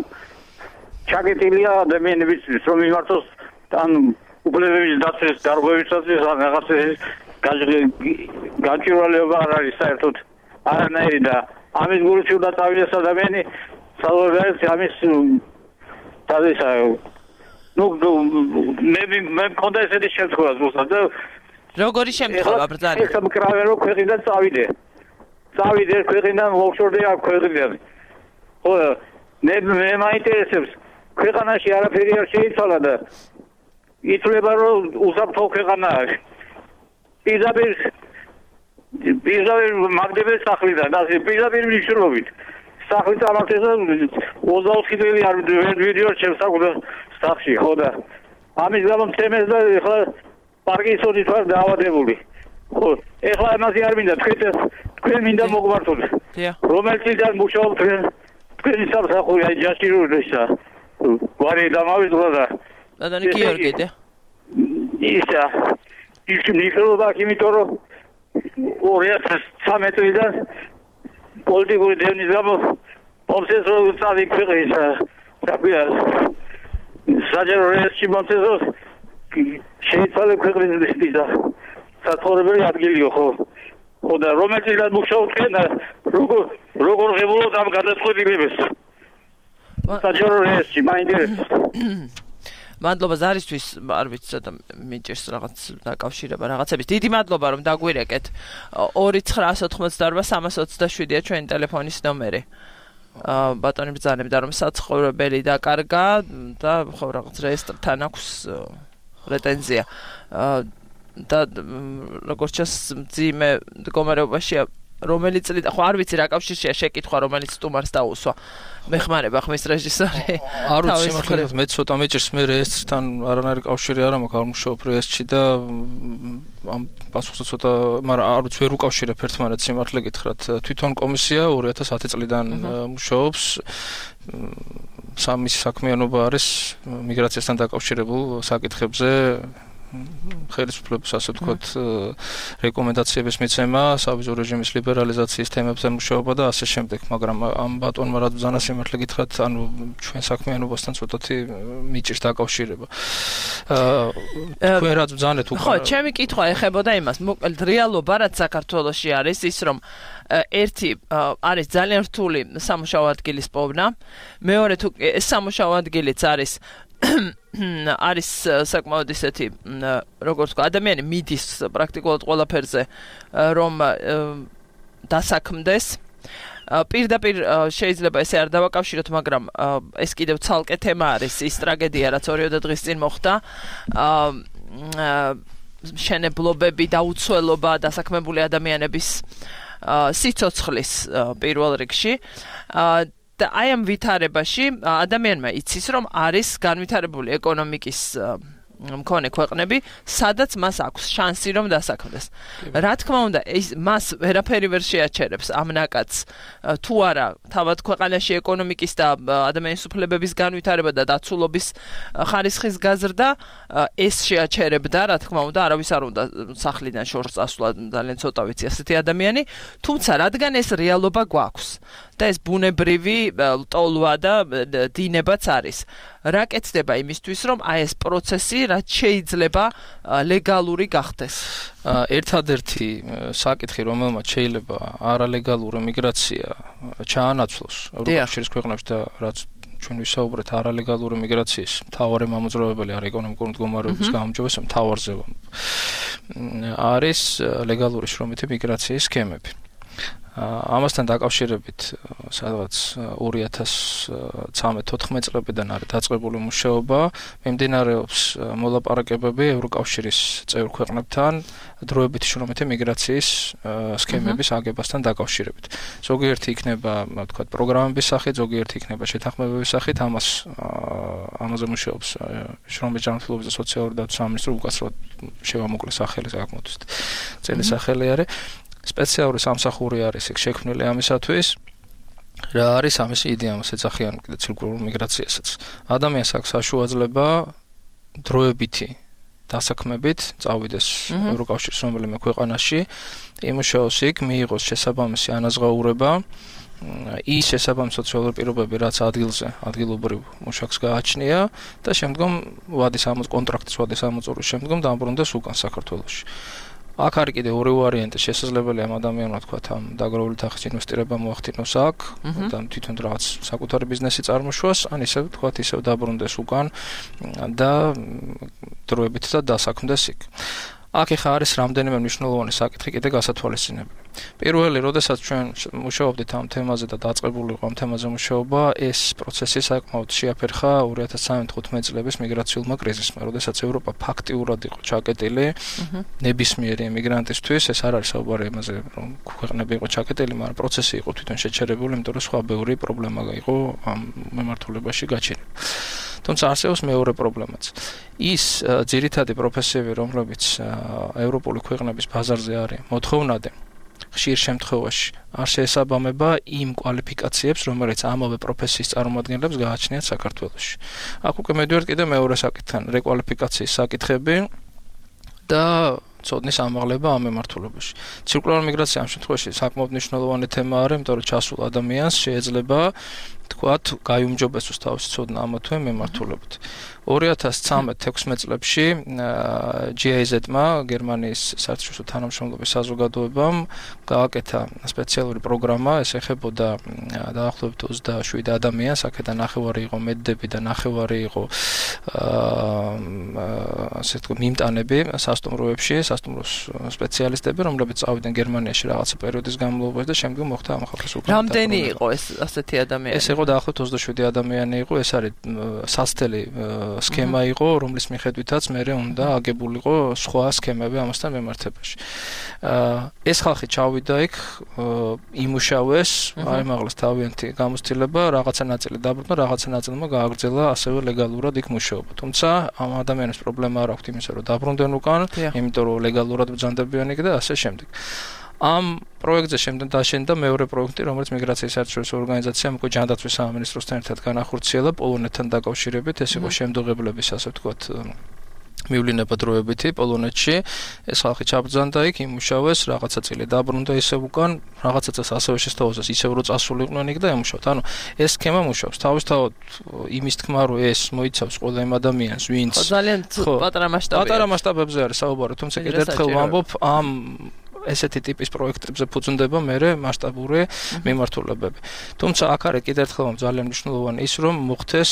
ჩაკეტილია ადამიანების რომ მიმართოს ან უფლებების დაცვის დარღვევისათვის ან რაღაცის გაჭირვალება არ არის საერთოდ არანაირი და ამის გულში უნდა წავიდეს ადამიანი საერთოდ ამის თავისა ნუ მე მე მქონდა ესეთი შემთხვევა ზუსტად და როგორი შემთხვევა ბრძანა ეს მკრავენ რომ ქვეყნიდან წავიდე წავიდე ქვეყნიდან მოხშორდე აქ ქვეყნიდან ხო მე მე მაინტერესებს ქვეყანაში არაფერი არ შეიცვალა და ითვლება რომ უსაფრთხო ქვეყანაა პირდაპირ პირდაპირ მაგდებენ სახლიდან და პირდაპირ მნიშვნელობით სახლი წამართეს და ოცდაოთხი წელი არ ვიდეო შემსახვდა სახლში ხო და ამის გამო მცემეს და ეხლა პარკინსონი თქვა დაავადებული ხო ეხლა ამაზე არ მინდა თქვენ თქვენ მინდა მოგვართოთ რომელიც წილიდან მუშაობ თქვენ თქვენი სამსახური აი ჯაშირულისა ვარი დამავიწყდა და დადანი გიორგი და ისა ის მიხელობა იმიტომ რომ ორი ათას ცხრამეტ წლიდან პოლიტიკური დევნის გამო ოფსეს რო წავიქვიყის საკვია საჯარო რეესში მომწესოს შეიცვალე ქვეყნის და საცხოვრებელი ადგილიო ხო ხო და რომელიც მუშაობენ როგორ როგორ ღებულობ ამ გადაწყვეტილებას საჯარო რეესში მაინტერესებს მადლობა ზარისთვის, არ ვიცი, ცოტა მიჭირს რაღაც დაკავშირება რაღაცების. დიდი მადლობა რომ დაგვირეკეთ. ორი ცხრაას ოთხმოცდაორვა სამას ოცდაშვიდია ჩვენი ტელეფონის ნომერი. აა ბატონი ბრძანებდა რომ საცხოვრებელი დაკარგა და ხო რაღაც რეესტრთან აქვს პრეტენზია. და როგორც ჩანს, მძიმე მდგომარეობაშია რომელიც წლით ხო არ ვიცი რა კავშირშია შეკითხვა რომელიც სტუმარს დაუსვა მეხმარება ხმის რეჟისორი არ ვიცი სიმართლედ მე ცოტა მეჭირს მე ესთან არანაირი კავშირი არ მაქვს არ მუშაობ ესში და ამ პასუხს ცოტა მაგრამ არ ვიცი ვერ უკავშირებ ერთმანეთს სიმართლე გითხრათ თვითონ კომისია ორი ათას ათი წლიდან მუშაობს სამი საქმიანობა არის მიგრაციასთან დაკავშირებულ საკითხებზე ხელისუფლების ასე ვთქვათ რეკომენდაციების მიცემა, სავიზო რეჟიმის ლიბერალიზაციის თემებზე მუშაობა და ასე შემდეგ, მაგრამ ამ ბატონმა რაც ბრძანა სიმართლე გითხრათ, ანუ ჩვენ საქმიანობასთან ცოტათი მიჭირს დაკავშირება. თქვენ რაც ბრძანეთ უკვე ხო, ჩემი კითხვა ეხებოდა იმას, მოკლედ რეალობა რაც საქართველოში არის ის რომ ერთი არის ძალიან რთული სამუშაო ადგილის პოვნა, მეორე თუ ეს სამუშაო ადგილიც არის არის საკმაოდ ისეთი როგორც ვთქვა ადამიანი მიდის პრაქტიკულად ყველაფერზე რომ დასაქმდეს პირდაპირ შეიძლება ესე არ დავაკავშიროთ მაგრამ ეს კიდევ ცალკე თემა არის ის ტრაგედია რაც ორი დღის წინ მოხდა მშენებლობები და უცველობა დასაქმებული ადამიანების სიცოცხლის პირველ რიგში და აი ამ ვითარებაში ადამიანმა იცის რომ არის განვითარებული ეკონომიკის მქონე ქვეყნები, სადაც მას აქვს შანსი რომ დასაქმდეს. რა თქმა უნდა, ეს მას ვერაფერი ვერ შეაჩერებს ამ ნაკადს თუ არა თავად ქვეყანაში ეკონომიკის და ადამიანის უფლებების განვითარება და დაცულობის ხარისხის გაზრდა ეს შეაჩერებდა, რა თქმა უნდა, არავის არ უნდა სახლიდან შორს წასვლა, ძალიან ცოტა ვიცი ასეთი ადამიანი, თუმცა რადგან ეს რეალობა გვაქვს და ეს ბუნებრივი ტოლვა და დინებაც არის. რა კეთდება იმისთვის, რომ აი ეს პროცესი რაც შეიძლება ლეგალური გახდეს. ერთადერთი საკითხი, რომელმაც შეიძლება არალეგალური მიგრაცია ჩაანაცვლოს ევროპის ქვეყნებში და რაც ჩვენ ვისაუბრეთ არალეგალური მიგრაციის მთავარი მამოძრავებელი არის ეკონომიკური მდგომარეობის გაუმჯობესება მთავარზე არის ლეგალური შრომითი მიგრაციის სქემები. ამასთან დაკავშირებით სადღაც ორი ათას ცხრამეტ თოთხმეტ წლებიდან არის დაწყებული მუშაობა, მიმდინარეობს მოლაპარაკებები ევროკავშირის წევრ ქვეყნებთან დროებითი შრომითი მიგრაციის სქემების აგებასთან დაკავშირებით. ზოგიერთი იქნება, ვთქვათ, პროგრამების სახით, ზოგიერთი იქნება შეთანხმებების სახით, ამას ამაზე მუშაობს შრომის ჯანმრთელობის და სოციალური დაცვის სამინისტრო უკაცრავად შევამოკლე სახელი საკმაოდ ძელი სახელი არის. სპეციალური სამსახური არის ეგ შექმნილი ამისათვის რა არის ამის იდეა მას ეძახიან კიდე ცირკულარულ მიგრაციასაც ადამიანს აქვს საშუალება დროებითი დასაქმებით წავიდეს ევროკავშირის რომელიმე ქვეყანაში იმუშაოს იქ მიიღოს შესაბამისი ანაზღაურება ის შესაბამისი სოციალური პირობები რაც ადგილზე ადგილობრივ მუშაკს გააჩნია და შემდგომ ვადის ამოწ კონტრაქტის ვადის ამოწურვის შემდგომ დაბრუნდეს უკან საქართველოში აქ არის კიდე ორი ვარიანტი შესაძლებელია ამ ადამიანმა თქვა ამ დაგროვილი თანხის ინვესტირება მოახდინოს აქ და თვითონ რაღაც საკუთარი ბიზნესი წარმოშვას ან ისე თქვა ისე დაბრუნდეს უკან და დროებით და დასაქმდეს იქ აქ ხა არის რამდენიმე მნიშვნელოვანი საკითხი კიდე გასათვალისწინებელი. პირველი, როდესაც ჩვენ მუშაობდით ამ თემაზე და დაწყებული იყო ამ თემაზე მუშაობა, ეს პროცესი საკმაოდ შეაფერხა ორი ათას თხუთმეტ წლების მიგრაციულმა კრიზისმა, როდესაც ევროპა ფაქტიურად იყო ჩაკეტილი ნებისმიერი იმიგრანტისთვის, ეს არ არის საუბარი იმაზე, რომ ქვეყნები იყო ჩაკეტილი, მაგრამ პროცესი იყო თვითონ შეჩერებული, იმიტომ რომ სხვა ბევრი პრობლემა იყო ამ მიმართულებაში გაჩენილი. თუმცა არსებობს მეორე პრობლემაც. ის ძირითადი პროფესიები, რომლებიც ევროპული ქვეყნების ბაზარზე არის მოთხოვნადი, ხშირ შემთხვევაში არ შეესაბამება იმ კვალიფიკაციებს, რომელიც ამავე პროფესიის წარმომადგენლებს გააჩნიათ საქართველოში. აქ უკვე მედივართ კიდე მეორე საკითხთან, რეკვალიფიკაციის საკითხები და ცოდნის ამაღლება ამ მიმართულებაში. ცირკულარული მიგრაცია ამ შემთხვევაში საკმაოდ მნიშვნელოვანი თემა არის, იმიტომ რომ ჩასულ ადამიანს შეიძლება თქვათ, გაიუმჯობესოს თავისი ცოდნა ამა თუ იმ მიმართულებით. ორი ათას ცხრამეტ თექვსმეტ წლებში ჯი აი ზედ-მა, გერმანიის საერთაშორისო თანამშრომლობის საზოგადოებამ გააკეთა სპეციალური პროგრამა, ეს ეხებოდა დაახლოებით ოცდაშვიდ ადამიანს, აქედან ნახევარი იყო მედდები და ნახევარი იყო ასე ვთქვათ, მიმტანები სასტუმროებში, სასტუმროს სპეციალისტები, რომლებიც წავიდნენ გერმანიაში რაღაცა პერიოდის განმავლობაში და შემდგომ მოხდა ამ ხალხის უკან. რამდენი იყო ეს ასეთი ადამიანი? ეს იყო იყო დაახლოებით ოცდაშვიდი ადამიანი იყო, ეს არის სასწრაფო სქემა იყო, რომლის მიხედვითაც მე უნდა აგებულიყო სხვა სქემები ამასთან მიმართებაში. ეს ხალხი ჩავიდა იქ, იმუშავეს, აი მაგალითად თავიანთი გამოცდილება, რაღაცა ნაწილი დაბრუნდა, რაღაცა ნაწილმა გააგრძელა ასევე ლეგალურად იქ მუშაობა. თუმცა ამ ადამიანებს პრობლემა არ აქვს იმისა, რომ დაბრუნდნენ უკან, იმიტომ რომ ლეგალურად ბრძანდებიან იქ და ასე შემდეგ. ამ პროექტზე შემდეგ დაშენდა მეორე პროექტი, რომელიც მიგრაციის საერთაშორისო ორგანიზაციამ უკვე ჯანდაცვის სამინისტროსთან ერთად განახორციელა პოლონეთთან დაკავშირებით, ეს იყო შემდოღებლების, ასე ვთქვათ, მივლინება დროებითი პოლონეთში. ეს ხალხი ჩაბრძანდა იქ, იმუშავეს, რაღაცა წილი დაბრუნდა ისევ უკან, რაღაცა წელს ასევე შესთავაზეს, ისევ რო წასულიყვნენ იქ და ემუშავთ. ანუ ეს სქემა მუშაობს. თავისთავად იმის თქმა, რომ ეს მოიცავს ყველა იმ ადამიანს, ვინც ძალიან პატარა მასშტაბია. პატარა მასშტაბებზე არის საუბარი, თუმცა კიდევ ერთხელ ვამბობ, ამ ესეთი ტიპის პროექტებზე ფუძნდება მერე მასშტაბური მიმართულებები. თუმცა აქ არის კიდევ ერთხელ ძალიან მნიშვნელოვანი ის, რომ მოხდეს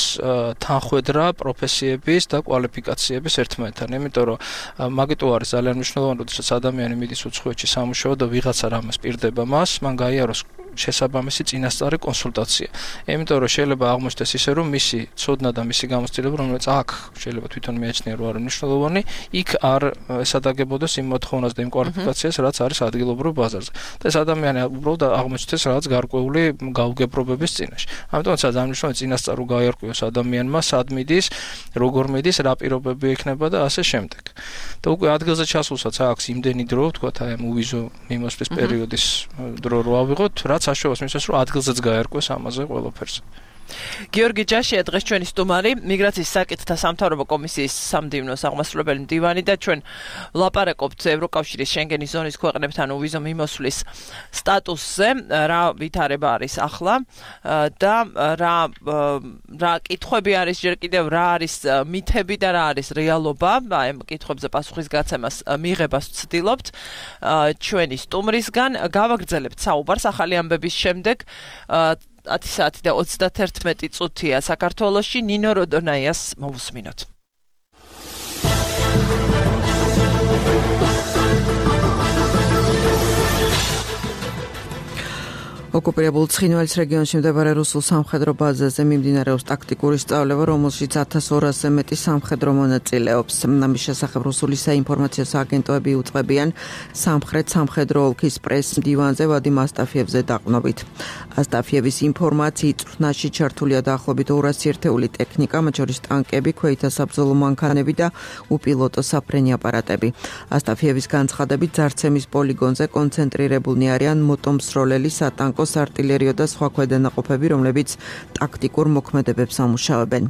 თანხვედრა პროფესიების და კვალიფიკაციების ერთმანეთთან, იმიტომ რომ მაგიტო არის ძალიან მნიშვნელოვანი, როდესაც ადამიანი მიდის უცხოეთში სამუშაოდ და ვიღაცა რამეს პირდება მას, მან გაიაროს შესაბამისი წინასწარი კონსულტაცია. იმიტომ რომ შეიძლება აღმოჩნდეს ისე, რომ მისი ცოდნა და მისი გამოცდილება, რომელიც აქ შეიძლება თვითონ მიაჩნია, რომ არის მნიშვნელოვანი, იქ არ ესადაგებოდეს იმ მოთხოვნას და იმ კვალიფიკაციას, რაც არის ადგილობრივ ბაზარზე. და ეს ადამიანი უბრალოდ აღმოჩნდეს რაღაც გარკვეული გაუგებრობების წინაშე. ამიტომაც ძალიან მნიშვნელოვანია წინასწარ რომ გაიარკვიოს ადამიანმა, სად მიდის, როგორ მიდის, რა პირობები ექნება და ასე შემდეგ. და უკვე ადგილზე ჩასულსაც აქვს იმდენი დრო, ვთქვათ, აი ამ უვიზო მიმოსვლის პერიოდის დრო რო ავიღოთ, რაც საშუალოს მისცეს, რომ ადგილზეც გაერკვეს ამაზე ყველაფერს. გიორგი ჯაშია დღეს ჩვენი სტუმარი, მიგრაციის საკითხთა სამთავრობო კომისიის სამდივნო აღმასრულებელი მდივანი და ჩვენ ვლაპარაკობთ ევროკავშირის შენგენის ზონის ქვეყნებთან უვიზო მიმოსვლის სტატუსზე, რა ვითარება არის ახლა და რა რა კითხვები არის ჯერ კიდევ, რა არის მითები და რა არის რეალობა, აი ამ კითხვებზე პასუხის გაცემას მიღებას ვცდილობთ ჩვენი სტუმრისგან. გავაგრძელებთ საუბარს ახალი ამბების შემდეგ. ათი საათი და ოცდაერთი წუთია საქართველოში. ნინო როდონაიას მოვუსმინოთ. ოკუპირებულ ცხინვალის რეგიონში მდებარე რუსულ სამხედრო ბაზაზე მიმდინარეობს ტაქტიკური სწავლება, რომელშიც ათას ორასზე მეტი სამხედრო მონაწილეობს. ამის შესახებ რუსული საინფორმაციო სააგენტოები უწყებიან სამხრეთ სამხედრო ოლქის პრეს მდივანზე ვადიმ ასტაფიევზე დაყრდნობით. ასტაფიევის ინფორმაციით წვრთნაში ჩართულია დაახლოებით ორასი ერთეული ტექნიკა, მათ შორის ტანკები, ქვეითთა საბრძოლო მანქანები და უპილოტო საფრენი აპარატები. ასტაფიევის განცხადებით, ძარცემის პოლიგონზე კონცენტრირებულნი არიან მოტომსროლელი სატანკო არტილერიო და სხვა ქვედანაყოფები, რომლებიც ტაქტიკურ მოქმედებებს ამუშავებენ.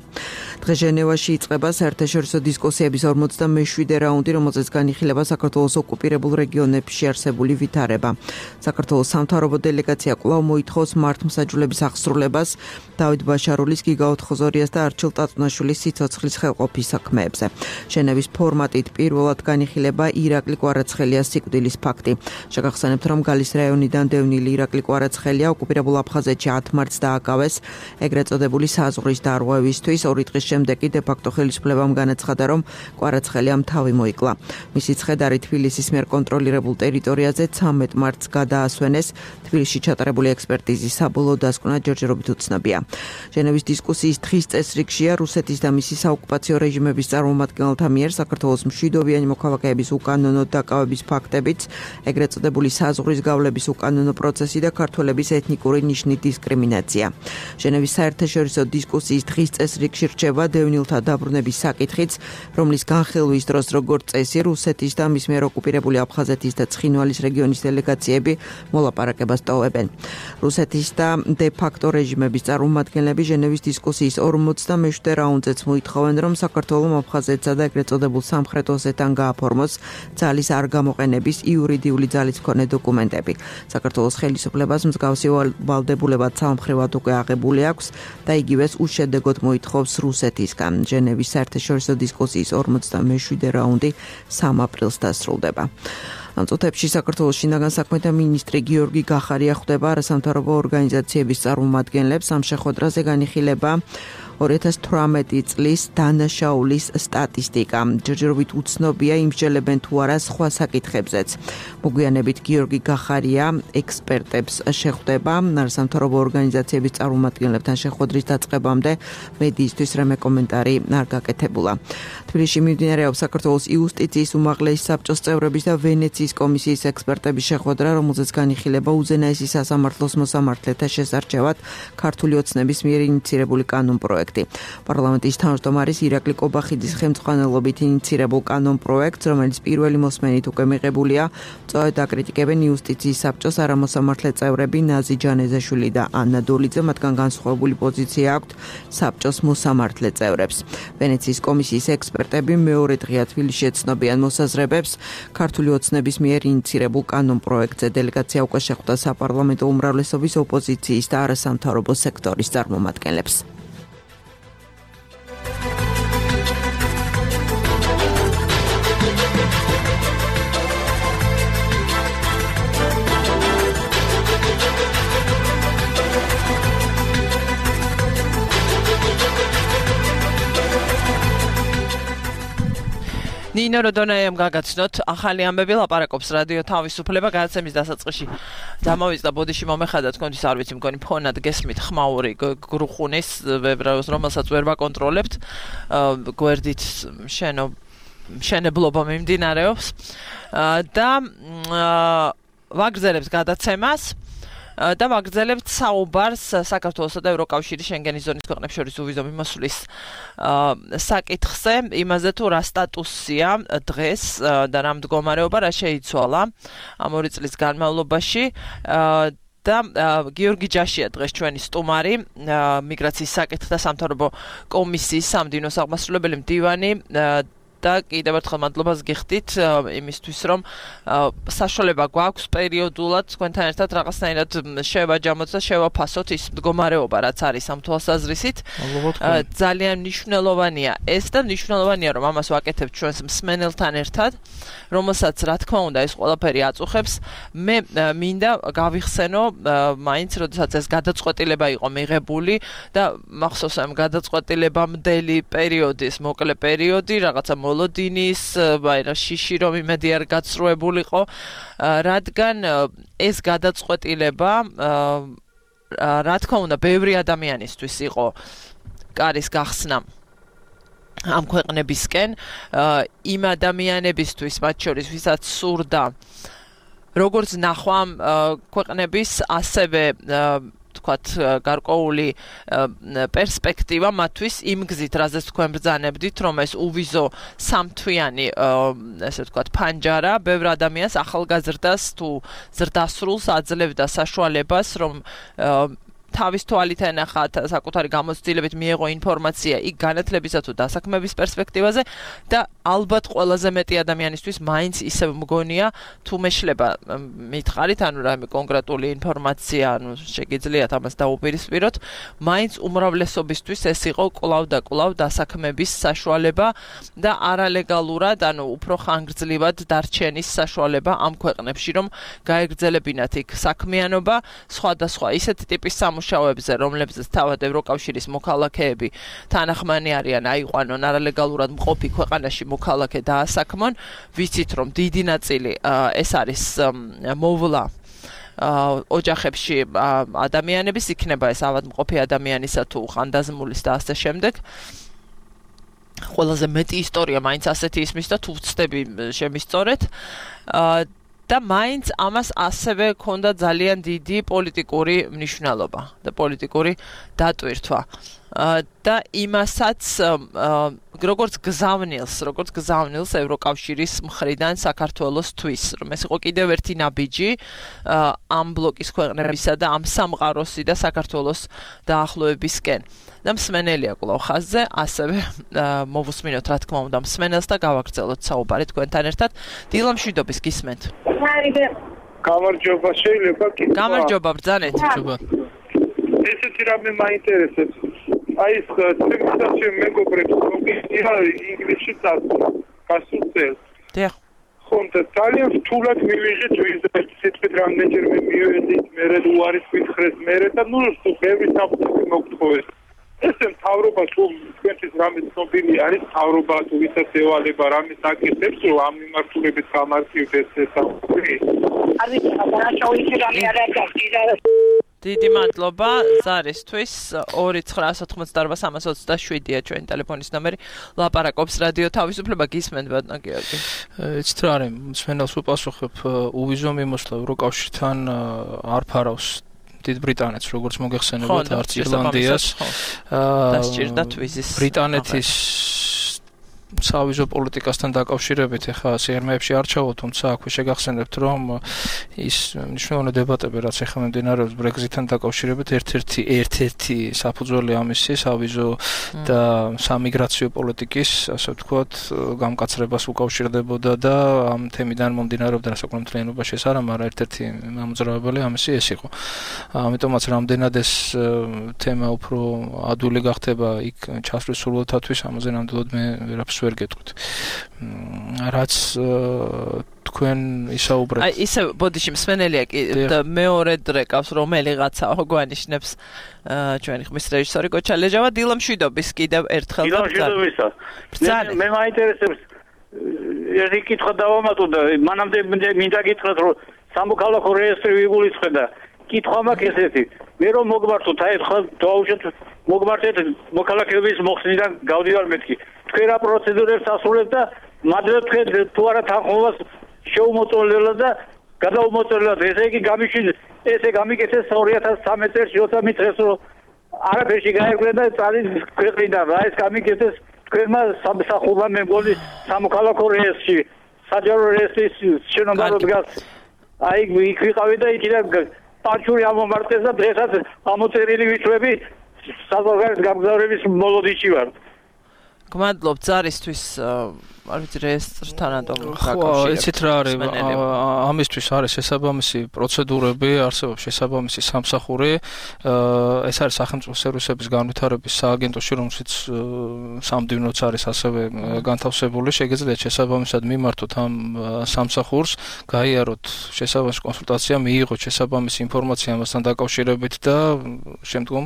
დღეს ჟენევაში იწყება საერთაშორისო დისკუსიების ორმოცდამეშვიდე რაუნდი, რომელზეც განიხილება საქართველოს ოკუპირებულ რეგიონებში არსებული ვითარება. საქართველოს სამთავრობო დელეგაცია კვლავ მოითხოვს მართლმსაჯულების აღსრულებას დავით ბაშარულის, გიგა ოთხოზორიას და არჩილ ტატუნაშვილის სიცოცხლის ხელყოფის საქმეებზე. ჟენევის ფორმატით პირველად განიხილება ირაკლი კვარაცხელიას სიკვდილის ფაქტი. შეგახსენებთ, რომ გალის რაიონიდან დევნილი ირაკლი კვარაცხელია ოკუპირებულ აფხაზეთში ათ მარტს დააკავეს ეგრეთ წოდებული საზღვრის დარღვევისთვის. ორი დღის შემდეგ კი დე-ფაქტო ხელისუფლებამ განაცხადა, რომ კვარაცხელიამ თავი მოიკლა. მისი ცხედარი თბილისის მიერ კონტროლირებულ ტერიტორიაზე ცამეტ მარტს გადაასვენეს. თბილისში ჩატარებული ექსპერტიზის საბოლოო დასკვნა ჯერჯერობით უცნობია. ჟენევის დისკუსიის დღის წესრიგშია რუსეთის და მისი საოკუპაციო რეჟიმების წარმომადგენელთა მიერ საქართველოს მშვიდობიანი მოქალაქეების უკანონო დაკავების ფაქტებიც, ეგრეთ წოდებული საზღვრის გავლების უკანონო პროცესი და ქართველების ეთნიკური ნიშნით დისკრიმინაცია. ჟენევის საერთაშორისო დისკუსიის დღის წესრიგში რჩება დევნილთა დაბრუნების საკითხიც, რომლის განხილვის დროს როგორც წესი რუსეთის და მის მიერ ოკუპირებული აფხაზეთის და ცხინვალის რეგიონის დელეგაციები მოლაპარაკებას ტოვებენ. რუსეთის და დე-ფაქტო რეჟიმების წარმომადგენლები ჟენევის დისკუსიის ორმოცდამეშვიდე რაუნდზეც მოითხოვენ, რომ საქართველოს აფხაზეთსა და ეგრეთ წოდებულ სამხრეთ ოსეთთან გააფორმოს ძალის არ გამოყენების იურიდიული ძალის მქონე დოკუმენტები. საქართველოს ხელისუფლებას მსგავსი ვალდებულება სამხრივად უკვე აღებული აქვს და იგივეს უშედეგოდ მოითხოვს რუსეთისგან. ჟენევის საერთაშორისო დისკუსიის ორმოცდამეშვიდე რაუნდი სამ აპრილს დასრულდება. ამ წუთებში საქართველოს შინაგან საქმეთა მინისტრი გიორგი გახარია ხვდება არასამთავრობო ორგანიზაციების წარმომადგენლებს. ამ შეხვედრაზე განიხილება ორი ათას თვრამეტი წლის დანაშაულის სტატისტიკა. ჯერჯერობით უცნობია იმსჯელებენ თუ არა სხვა საკითხებზეც. მოგვიანებით გიორგი გახარია ექსპერტებს შეხვდება. სამთავრობო ორგანიზაციების წარმომადგენლებთან შეხვედრის დაწყებამდე მედიისთვის რამე კომენტარი არ გაკეთებულა. თბილისში მიმდინარეობს საქართველოს იუსტიციის უმაღლესი საბჭოს წევრების და ვენეციის კომისიის ექსპერტების შეხვედრა, რომელზეც განიხილება უზენაესი სასამართლოს მოსამართლეთა შესარჩევად ქართული ოცნების მიერ ინიცირებული კანონპროექტი. პარლამენტის თავმჯდომარის ირაკლი კობახიძის ხელმძღვანელობით ინიცირებულ კანონპროექტს, რომელიც პირველი მოსმენით უკვე მიღებულია, წვავედ აკრიტიკებენ იუსტიციის საბჭოს არამოსამართლე წევრები ნაზი ჯანეზაშვილი და ანა დოლიძე, მათგან განსხვავებული პოზიცია აქვთ საბჭოს მოსამართლე წევრებს. ვენეციის კომისიის ექსპერტები მეორე დღეა თბილისში ეცნობიან მოსაზრებებს ქართული ოცნების მიერ ინიცირებულ კანონპროექტზე. დელეგაცია უკვე შეხვდა საპარლამენტო უმრავლესობის ოპოზიციის და არასამთავრობო სექტორის წარმომადგენლებს. ნინო როდონაიამ გაგაცნოთ ახალი ამბები ლაპარაკობს რადიო თავისუფლება გადაცემის დასაწყისში დამოვიწყდა ბოდიში მომეხადა თქვენთვის არ ვიცი მგონი ფონად გესმით ხმაური გრუხუნის რომელსაც ვერ ვაკონტროლებთ გვერდით შენო შენებლობა მიმდინარეობს და ვაგრძელებს გადაცემას და ვაგრძელებთ საუბარს საქართველოსა და ევროკავშირის შენგენის ზონის ქვეყნებს შორის უვიზო მიმოსვლის საკითხზე, იმაზე თუ რა სტატუსია დღეს და რა მდგომარეობა რა შეიცვალა ამ ორი წლის განმავლობაში და გიორგი ჯაშია დღეს ჩვენი სტუმარი, მიგრაციის საკითხთა სამთავრობო კომისიის სამდივნო აღმასრულებელი მდივანი და კიდევ ერთხელ მადლობას გიხდით იმისთვის, რომ საშუალება გვაქვს პერიოდულად თქვენთან ერთად რაღაცნაირად შევაჯამოთ და შევაფასოთ ის მდგომარეობა, რაც არის ამ თვალსაზრისით. ძალიან მნიშვნელოვანია ეს და მნიშვნელოვანია, რომ ამას ვაკეთებთ ჩვენს მსმენელთან ერთად, რომელსაც რა თქმა უნდა ეს ყველაფერი აწუხებს. მე მინდა გავიხსენო მაინც, როდესაც ეს გადაწყვეტილება იყო მიღებული და მახსოვს ამ გადაწყვეტილებამდელი პერიოდის, მოკლე პერიოდი, რაღაცა მოლოდინის, ვაირა შიში რომ იმედი არ გაცრუებულიყო, რადგან ეს გადაწყვეტილება რა თქმა უნდა ბევრი ადამიანისთვის იყო კარის გახსნა ამ ქვეყნებისკენ, იმ ადამიანებისთვის, მათ შორის ვისაც სურდა როგორც ნახვა ქვეყნების, ასევე თქვათ გარკვეული პერსპექტივა მათთვის იმ გზით, რაზეც თქვენ ბრძანებდით, რომ ეს უვიზო სამთვიანი ესე ვთქვათ ფანჯარა ბევრ ადამიანს ახალგაზრდას თუ ზრდასრულს აძლევდა საშუალებას, რომ თავის თვალით ენახა საკუთარი გამოცდილებით მიეღო ინფორმაცია იქ განათლებისა თუ დასაქმების პერსპექტივაზე და ალბათ ყველაზე მეტი ადამიანისთვის მაინც ისევ მგონია თუ მეშლება მითხარით, ანუ რა კონკრეტული ინფორმაცია, ანუ შეგიძლიათ ამას დაუპირისპიროთ, მაინც უმრავლესობისთვის ეს იყო კვლავ და კვლავ დასაქმების საშუალება და არალეგალურად, ანუ უფრო ხანგრძლივად დარჩენის საშუალება ამ ქვეყნებში, რომ გაეგრძელებინათ იქ საქმიანობა, სხვადასხვა ისეთი ტიპის სამუშაოებზე, რომლებზეც თავად ევროკავშირის მოქალაქეები თანახმანი არიან, აიყვანონ არალეგალურად მყოფი ქვეყანაში მოქალაქე დაასაქმონ, ვიცით რომ დიდი ნაწილი ეს არის მოვლა ოჯახებში ადამიანების, იქნება ეს ავადმყოფი ადამიანისა თუ ხანდაზმულის და ასე შემდეგ. ყველაზე მეტი ისტორია მაინც ასეთი ისმის და თუ ვცდები შემისწორეთ და მაინც ამას ასევე ქონდა ძალიან დიდი პოლიტიკური მნიშვნელობა და პოლიტიკური დატვირთვა და იმასაც როგორც გზავნილს, როგორც გზავნილს ევროკავშირის მხრიდან საქართველოსთვის, რომ ეს იყო კიდევ ერთი ნაბიჯი ამ ბლოკის ქვეყნებისა და ამ სამყაროსი და საქართველოს დაახლოებისკენ. და მსმენელია კვლავ ხაზზე, ასევე მოვუსმინოთ რა თქმა უნდა მსმენელს და გავაგრძელოთ საუბარი თქვენთან ერთად. დილა მშვიდობის გისმენთ. გამარჯობა, შეიძლება კიდევ. გამარჯობა, ბრძანეთ. ესეთი რამე მაინტერესებს. აი ეს ტრანსფორმაცია მეგობრებს მოგიწია ინგლისში გასულ წელს. დიახ. ხონდა ძალიან რთულად მივიღეთ ვიზიტს, სიტყვით რამდენჯერმე მივედით, მერე უარის მითხრეს, მერე და ნუ ბევრი საფრთხე მოგთხოვეს. ეს მთავრობა თუ თქვენთვის რამე ცნობილი არის მთავრობა თუ ვისაც ევალება რამის აკეთებს რომ ამ მიმართულებით გამართივდეს ეს საკითხი არ ვიცი რა შოუში რამე არ არის დიდი მადლობა ზარისთვის ორი ცხრა ათოთხმოცდაორ სამას ოცდაშვიდია ჩვენი ტელეფონის ნომერი ლაპარაკობს რადიო თავისუფლება გისმენთ ბატონო გიორგი იცით რა არის მსმენელს უპასუხებ უვიზო მიმოსვლა ევროკავშირთან არ ფარავს დიდ ბრიტანეთს როგორც მოგეხსენებათ არც ირლანდიას დასჭირდათ ვიზის ბრიტანეთის სავიზო პოლიტიკასთან დაკავშირებით ეხლა სიღრმეებში არ ჩავალ, თუმცა აქვე შეგახსენებთ, რომ ის მნიშვნელოვანი დებატები, რაც ეხლა მიმდინარეობს Brexit-თან დაკავშირებით, ერთ-ერთი ერთ-ერთი საფუძველი ამისი სავიზო და სამიგრაციო პოლიტიკის, ასე ვთქვათ, გამკაცრებას უკავშირდებოდა და ამ თემიდან მომდინარეობდა საკუთარ მთლიანობაში ეს არა, მაგრამ ერთ-ერთი ამოძრავებელი ამისი ეს იყო. ამიტომაც რამდენად ეს თემა უფრო ადვილი გახდება იქ ჩასვლის სურვილთათვის, ამაზე ნამდვილად მე ვერაფერს ვერ გეტყვით. რაც თქვენ ისაუბრეთ. აი ისე ბოდიში მსმენელია კი მეორედ რეკავს რომელიღაცა გვანიშნებს ჩვენი ხმის რეჟისორი გოჩა ლეჟავა დილამშვიდობის კიდევ ერთხელ და დილამშვიდობისა. მე მაინტერესებს ერთი კითხვა დავამატო და მანამდე მინდა გითხრათ რომ სამოქალაქო რეესტრი ვიგულისხმდა. კითხვა მაქვს ესეთი. მე რომ მოგმართოთ აი ხა დავუშვათ მოგმართეთ მოქალაქეების მოხსნიდან გავდივარ მეთქი. თქვენ რა პროცედურებს ასრულებთ და მადლობთ თქვენ თუ არა თანხმობას შეუმოწოლებლად და გადაუმოწოლებლად ესე იგი გამიშვიდეთ ესე გამიკეთეს ორი ათას ცხრამეტ წელს ოცდამეტ დღეს რომ არაფერში გაერკვნა და წადის ქვეყნიდან რა ეს გამიკეთეს თქვენმა სამსახურმა მე მგონი სამოქალაქო რეესტრში საჯარო რეესტრის შენობა რო დგას აი იქ ვიყავი და იქიდან პანჩური ამომარტეს და დღესაც ამოწერილი ვიწვევი საზღვარგარეთ გამგზავრების მოლოდიში ვარ გმადლობთ ზარისთვის არ ვიცი რეესტრთანადო ხო იცით რა არის ამისთვის არის შესაბამისი პროცედურები არსებობს შესაბამისი სამსახური ეს არის სახელმწიფო სერვისების განვითარების სააგენტოში რომელშიც სამდივნოც არის ასევე განთავსებული შეგიძლიათ შესაბამისად მიმართოთ ამ სამსახურს გაიაროთ შესაბამისი კონსულტაცია მიიღოთ შესაბამისი ინფორმაცია ამასთან დაკავშირებით და შემდგომ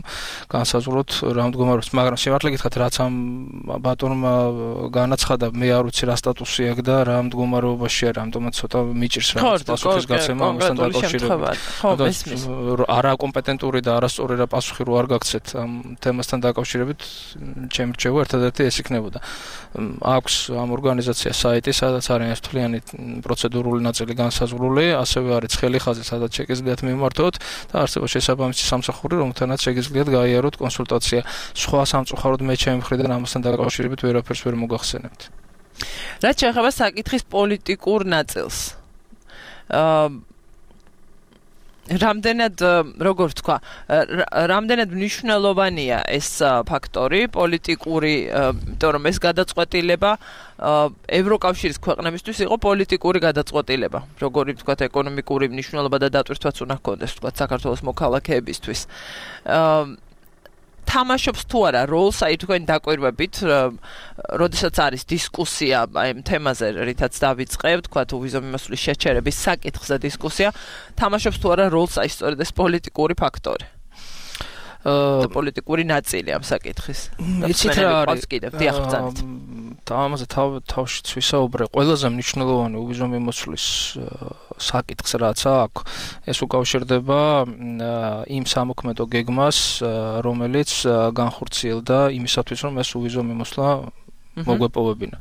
განსაზღვროთ რა მდგომარეობს მაგრამ სიმართლე გითხრათ რაც ამ ბატონმა განაცხადა მე არ ვიცი რა სტატუსი აქვს და რა მდგომარეობაშია რამდომაც ცოტა მიჭირს რა პასუხის გაცემა ამასთან დაკავშირებით. ხო, არა კომპეტენტური და არასწორი რა პასუხი რო არ გაგცეთ ამ თემასთან დაკავშირებით, ჩემი რჩევა ერთადერთი ეს იქნებოდა. აქვს ამ ორგანიზაციას საიტი, სადაც არის თვლიანი პროცედურული ნაწილი განსაზღვრული, ასევე არის ცხელი ხაზი, სადაც შეგიძლიათ მიმართოთ და არსებობს შესაბამისი სამსახური, რომელთანაც შეგიძლიათ გაიაროთ კონსულტაცია. სხვა სამწუხაროდ მე ჩემი მხრიდან ამასთან დაკავშირებით ვერაფერს ვერ მოგახსენებთ. რაც შეეხება საკითხის პოლიტიკურ ნაწილს. აა რამდენად როგორ ვთქვა, რამდენად მნიშვნელოვანია ეს ფაქტორი პოლიტიკური, იმიტომ რომ ეს გადაწყვეტილება ევროკავშირის ქვეყნებისთვის იყო პოლიტიკური გადაწყვეტილება. როგორი ვთქვა, ეკონომიკური მნიშვნელობა და დატვირთვაც უნდა ჰქონდეს, ვთქვა, საქართველოს მოქალაქეებისთვის. აა თამაშობს თუ არა როლს აი თქვენ დაკვირვებით, როდესაც არის დისკუსია აი ამ თემაზე, რითაც დავიწყებთ, თქვა თუ ვიზო მიმოსვლის შეჩერების საკითხზე დისკუსია, თამაშობს თუ არა როლს აი სწორედ ეს პოლიტიკური ფაქტორი. და პოლიტიკური ნაწილი ამ საკითხის. იცით რა არის? და ამაზე თავშიც ვისაუბრე, ყველაზე მნიშვნელოვანი უვიზო მიმოსვლის საკითხს რაც აქვს, ეს უკავშირდება იმ სამოქმედო გეგმას, რომელიც განხორციელდა იმისათვის, რომ ეს უვიზო მიმოსვლა მოგვეპოვებინა.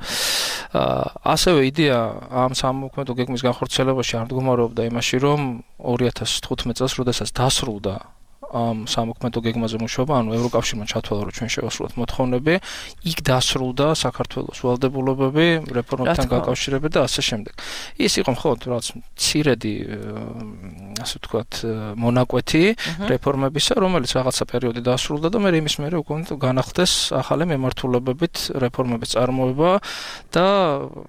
ასევე იდეა ამ სამოქმედო გეგმის განხორციელებაში არ მდგომარეობდა იმაში, რომ ორი ათას თხუთმეტ წელს, როდესაც დასრულდა ამ სამოქმედო გეგმაზე მუშაობა, ანუ ევროკავშირმა ჩათვალა, რომ ჩვენ შევასრულოთ მოთხოვნები, იქ დასრულდა საქართველოს ვალდებულებები, რეფორმებთან გაკავშირებით და ასე შემდეგ. ის იყო ხო, რაც მცირედი, ასე ვთქვათ, მონაკვეთი რეფორმებისა, რომელიც რაღაცა პერიოდი დასრულდა და მე იმის მერე უკვე განახლდეს ახალი მემართულებებით რეფორმების წარმოება და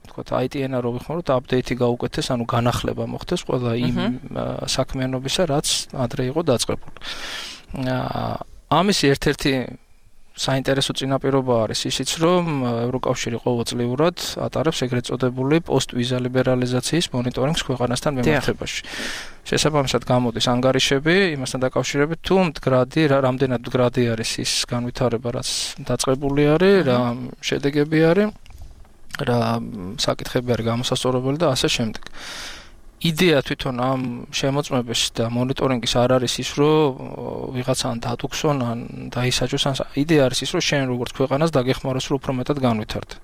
ვთქვათ, აი ტი ენ-ა რო ვიხმაროთ, აპდეიტი გაუკეთეს, ანუ განახლება მოხდეს ყველა იმ საქმიანობისა, რაც ადრე იყო დაწყებული. ამის ერთ-ერთი საინტერესო წინაპირობა არის ისიც, რომ ევროკავშირი ყოველწლიურად ატარებს ეგრეთ წოდებული პოსტ-ვიზა ლიბერალიზაციის მონიტორინგს ქვეყანასთან მიმართებაში. შესაბამისად გამოდის ანგარიშები იმასთან დაკავშირებით, თუ მდგრადი, რამდენად მდგრადი არის ის განვითარება, რაც დაწყებული არის, რა შედეგები არის, რა საკითხები არის გამოსასწორებელი და ასე შემდეგ. იდეა თვითონ ამ შემოწმების და მონიტორინგის არ არის ის, რომ ვიღაცან დატუქსონ ან დაისაჯოს, ან იდეა არის ის, რომ შენ როგორც ქვეყანას დაგეხმაროს, რომ უფრო მეტად განვითარდე.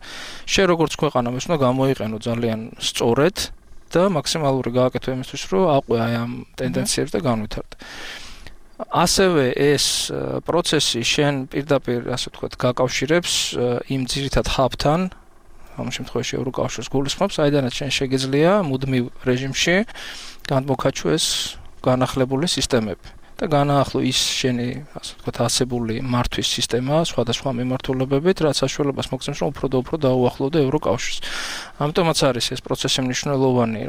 შენ როგორც ქვეყანა მის უნდა გამოიყენო ძალიან სწორედ და მაქსიმალური გააკეთო იმისთვის, რომ აყვე აი ამ ტენდენციებს და განვითარდე. ასევე ეს პროცესი შენ პირდაპირ, ასე ვთქვათ, გაკავშირებს იმ ძირითად ჰაბთან, ამ შემთხვევაში ევროკავშირს გულისხმობს, აიდანაც შენ შეგიძლია მუდმივ რეჟიმში განმოქაჩო ეს განახლებული სისტემები და განაახლო ის შენი, ასე ვთქვათ, ასებული მართვის სისტემა სხვადასხვა მიმართულებებით, რაც საშუალებას მოგცემს, რომ უფრო და უფრო დაუახლოვდე ევროკავშირს. ამიტომაც არის ეს პროცესი მნიშვნელოვანი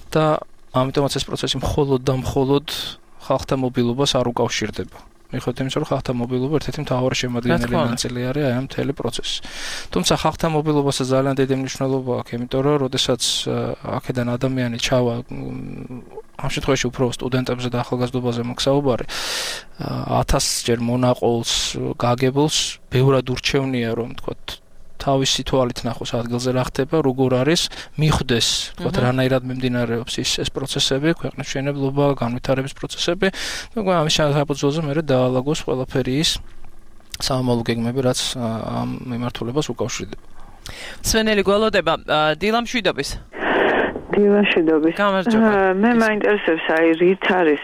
და ამიტომაც ეს პროცესი მხოლოდ და მხოლოდ ხალხთა მობილობას არ უკავშირდება. მიხედვით იმისა, რომ ხალხთა მობილობა ერთ-ერთი მთავარი შემადგენელი ნაწილი არის აი ამ მთელი პროცესის. თუმცა ხალხთა მობილობაზე ძალიან დიდი მნიშვნელობა აქვს, იმიტომ რომ როდესაც აქედან ადამიანი ჩავა ამ შემთხვევაში უფრო სტუდენტებზე და ახალგაზრდობაზე მოგსაუბარი, ათასჯერ მონაყოლს, გაგებულს, ბევრად ურჩევნია, რომ თქვათ თავისი თვალით ნახოს ადგილზე რა ხდება, როგორ არის, მიხვდეს, თქვათ, რანაირად მიმდინარეობს ის ეს პროცესები, ქვეყნის მშენებლობა, განვითარების პროცესები, და ამის საფუძველზე მე დაალაგოს ყველაფერი ის სამომავლო გეგმები, რაც ამ მიმართულებას უკავშირდება. სვენელი გველოდება, დილა მშვიდობის. დილა მშვიდობის. გამარჯობა. მე მაინტერესებს აი რით არის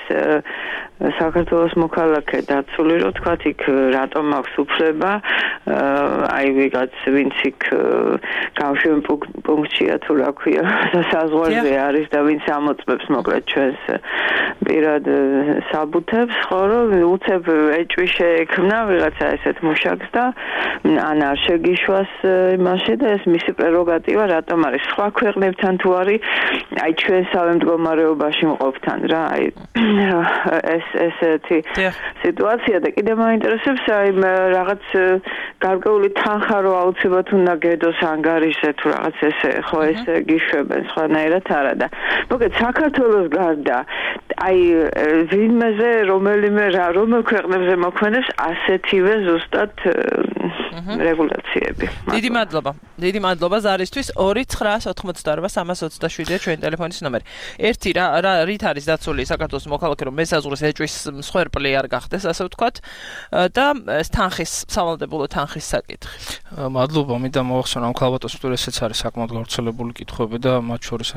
საქართველოს მოქალაქე დაცული, რომ თქვათ იქ რატომ აქვს უფლება, აი ვიღაც ვინც იქ გამშვენ პუნქტშია თუ რა ქვია, საზღვარზე არის და ვინც ამოწმებს მოკლედ ჩვენს პირად საბუთებს, ხო რომ უცებ ეჭვი შეექმნა ვიღაცა ესეთ მუშაკს და ან არ შეგიშვას იმაში და ეს მისი პრეროგატივა რატომ არის სხვა ქვეყნებთან თუ არის აი ჩვენსავე მდგომარეობაში მყოფთან რა აი ეს ესეთი სიტუაცია და კიდევ მაინტერესებს აი რაღაც გარკვეული თანხა რო აუცილებლად უნდა გედოს ანგარიშზე თუ რაღაც ესე ხო ესე გიშვებენ სხვანაირად არა და მოკლედ საქართველოს გარდა აი ვინმეზე რომელიმე რა რომელ ქვეყნებზე მოქმედებს ასეთივე ზუსტად რეგულაციები. დიდი მადლობა. დიდი მადლობა ზარისთვის. ორი ცხრა ოთხმოცდაორვა სამას ოცდაშვიდია ჩვენი ტელეფონის ნომერი. ერთი რა რით არის დაცული საქართველოს მოქალაქე რომ მესაზღვრეს ეჭვის მსხვერპლი არ გახდეს, ასე ვთქვათ, და თანხის სავალდებულო თანხის საკითხი. მადლობა, მინდა მოახსენო ამ ქალბატონს, რომ ესეც არის საკმაოდ გავრცელებული კითხვები და მათ შორის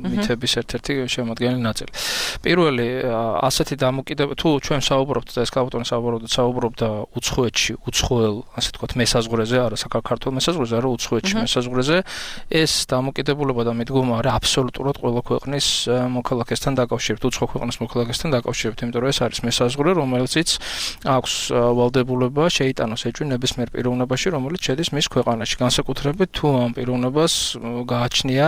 მითების ერთ-ერთი შემადგენელი ნაწილი. პირველი ასეთი დამოკიდებულება თუ ჩვენ საუბრობთ და ეს ქალბატონი საუბრობდა საუბრობდა უცხოეთში, უცხოელ, ასე ვთქვათ, მესაზღვრეზე, არა საქართველოს მესაზღვრეზე, არა უცხოეთში მესაზღვრეზე, ეს დამოკიდებულება და მიდგომა არის აბსოლუტურად ყველა ქვეყნის მოქალაქესთან დაკავშირებით, უცხო ქვეყნის მოქალაქესთან დაკავშირებით, იმიტომ რომ ეს არის მესაზღვრე, რომელიციც აქვს ვალდებულება შეიტანოს ეჭვი ნებისმიერ პიროვნებაში, რომელიც შედის მის ქვეყანაში, განსაკუთრებით თუ ამ პიროვნებას გააჩნია,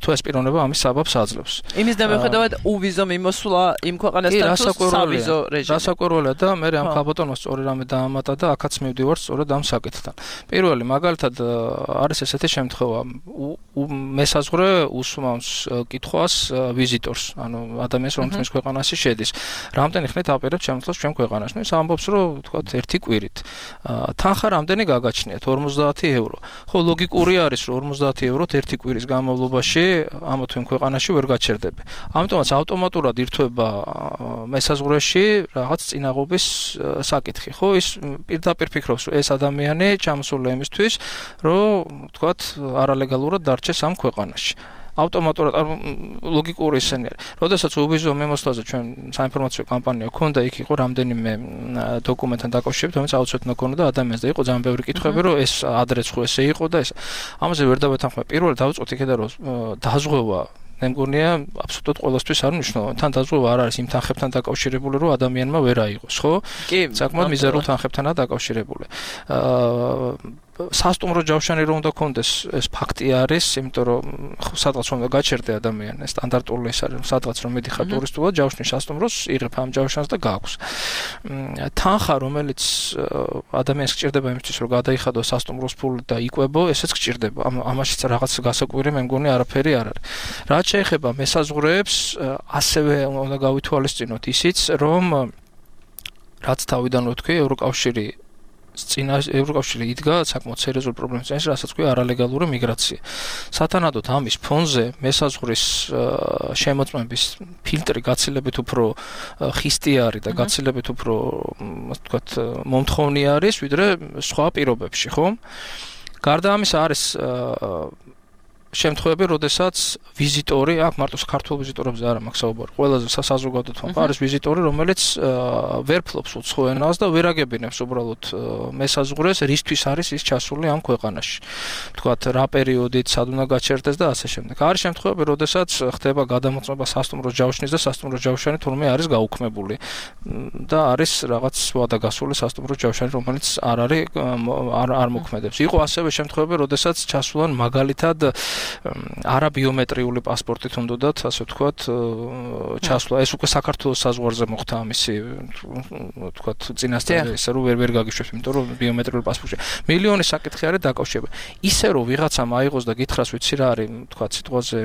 თუ ეს პიროვნება ამის საბაბს აძლევს. იმის დამოუკიდებლად უვიზო მიმოსვლა იმ ქვეყანასთან თუ სავიზო რეჟიმი. რასაკვირველია და მე ამ ქალბატონს სწორი რამე დაამატა და აქაც მივდივარ სწორედ ამ საკითხთან. პირველი მაგალითად არის ესეთი შემთხვევა, მესაზღვრე უსმავს კითხვას ვიზიტორს, ანუ ადამიანს, რომელიც მის ქვეყანაში შედის. რამდენი ხნით აპირებს შემოსვლას ჩვენ ქვეყანაში? ნუ ის ამბობს, რომ თქვათ ერთი კვირით. თანხა რამდენი გაგაჩნიათ? ორმოცდაათი ევრო. ხო, ლოგიკური არის, რომ ორმოცდაათი ევროთ ერთი კვირის განმავლობაში ამა თუ იმ ქვეყანაში ვერ გაჩერდები. ამიტომაც ავტომატურად ირთვება მესაზღვრეში რაღაც წინაღობის საკითხი. ხო, ის პირდაპირ ფიქრობს, რომ ეს ადამიანი ჩამოსულია იმისთვის, რომ თქვათ არალეგალურად დარჩეს ამ ქვეყანაში. ავტომატურად ლოგიკური ისენი არის. როდესაც უვიზო მიმოსვლაზე ჩვენ საინფორმაციო კამპანია ქონდა, იქ იყო რამდენიმე დოკუმენტთან დაკავშირებით, რომელიც აუცილებლად უნდა ქონოდა ადამიანს და იყო ძალიან ბევრი კითხვები, რომ ეს ადრეც ხო ესე იყო და ეს. ამაზე ვერ დავეთანხმებ. პირველად დავიწყოთ იქიდან, რომ დაზღვევა მე მგონია აბსოლუტურად ყველასთვის არ მნიშვნელოვანი. თან დაზღვევა არ არის იმ თანხებთან დაკავშირებული, რომ ადამიანმა ვერ აიღოს, ხო? კი, საკმაოდ მიზერულ თანხებთანაა დაკავშირებული. აა სასტუმრო ჯავშანი რომ უნდა კონდეს ეს ფაქტი არის, იმიტომ რომ სადღაც უნდა გაჩერდე ადამიანი, სტანდარტული ეს არის, სადღაც რომ მიდიხარ ტურისტულად ჯავშნის სასტუმროს, იღებ ამ ჯავშანს და გააქვს. თანხა, რომელიც ადამიანს გჭირდება იმისთვის, რომ გადაიხადოს სასტუმროს ფული და იკვებო, ესეც გჭირდება. ამაშიც რაღაც გასაკვირი მე მგონი არაფერი არ არის. რაც შეეხება მესაზღვრეებს, ასევე უნდა გავითვალისწინოთ ისიც, რომ რაც თავიდან ვთქვი, ევროკავშირი წინა ევროკავშირი იდგა საკმაოდ სერიოზულ პრობლემებს წინაშე, რასაც ქვია არალეგალური მიგრაცია. სათანადოდ ამის ფონზე მესაზღვრის შემოწმების ფილტრი გაცილებით უფრო ხისტი არის და გაცილებით უფრო, ასე ვთქვათ, მომთხოვნი არის, ვიდრე სხვა პირობებში, ხო? გარდა ამისა არის შემთხვევები, როდესაც ვიზიტორი, აქ მარტო საქართველოს ვიზიტორებზე არ მაქვს საუბარი, ყველაზე საზოგადოებრივ თვალსაჩინო არის ვიზიტორი, რომელიც ვერ ფლობს უცხო ენას და ვერ აგებინებს უბრალოდ მესაზღვრეს, რისთვის არის ის ჩასული ამ ქვეყანაში. თქვათ, რა პერიოდით, სად უნდა გაჩერდეს და ასე შემდეგ. არის შემთხვევები, როდესაც ხდება გადამოწმება სასტუმროს ჯავშნის და სასტუმროს ჯავშანი თურმე არის გაუქმებული და არის რაღაც ვადაგასული სასტუმროს ჯავშანი, რომელიც არ არის არ არ მოქმედებს. იყო ასევე შემთხვევები, როდესაც ჩასულან მაგალითად არაბიომეტრიული პასპორტით უნდათ, ასე ვთქვათ, ჩასვლა. ეს უკვე საქართველოს საზღვარზე მოხდა ამისი, ვთქვათ, წინასწარი, ესე რომ ვერ ვერ გაგიშვებს, იმიტომ რომ ბიომეტრიული პასპორტი. მილიონი საკითხი არის დაკავშირებული. ისე რომ ვიღაცამ აიღოს და გითხრას, ვიცი რა არის, ვთქვათ, სიტყვაზე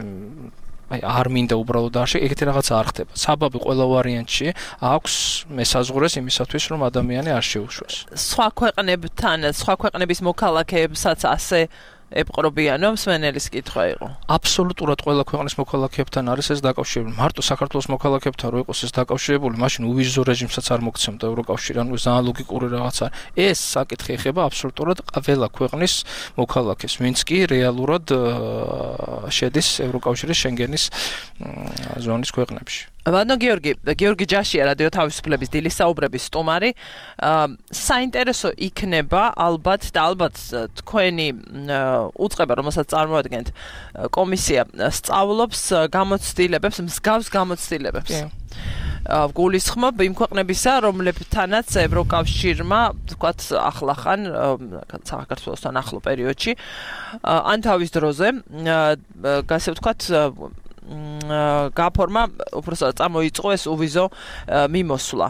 აი არ მინდა უბრალოდ არ შე, ეგეთი რაღაცა არ ხდება. საბაბი ყველა ვარიანტში აქვს მესაზღვრეს იმისათვის, რომ ადამიანი არ შეუშვეს. სხვა ქვეყნებთან, სხვა ქვეყნების მოქალაქეებსაც ასე ეპყრობიანო მსმენელის კითხვა იყო. აბსოლუტურად ყველა ქვეყნის მოქალაქეებთან არის ეს დაკავშირებული. მარტო საქართველოს მოქალაქეებთან რო იყოს ეს დაკავშირებული, მაშინ უვიზო რეჟიმსაც არ მოგცემდა ევროკავშირი, ანუ ძალიან ლოგიკური რაღაცა. ეს საკითხი ეხება აბსოლუტურად ყველა ქვეყნის მოქალაქეს, ვინც კი რეალურად შედის ევროკავშირის შენგენის ზონის ქვეყნებში. ბატონო გიორგი, გიორგი ჯაშია, რადიო თავისუფლების დილის საუბრების სტუმარი. საინტერესო იქნება ალბათ და ალბათ თქვენი უწყება, რომელსაც წარმოადგენთ, კომისია სწავლობს გამოცდილებებს, მსგავს გამოცდილებებს. გულისხმობ იმ ქვეყნებისა, რომლებთანაც ევროკავშირმა, თქვათ, ახლახან საქართველოსთან ახლო პერიოდში, ან თავის დროზე, ასე ვთქვათ, გაფორმა, უბრალოდ წამოიწყო ეს უვიზო მიმოსვლა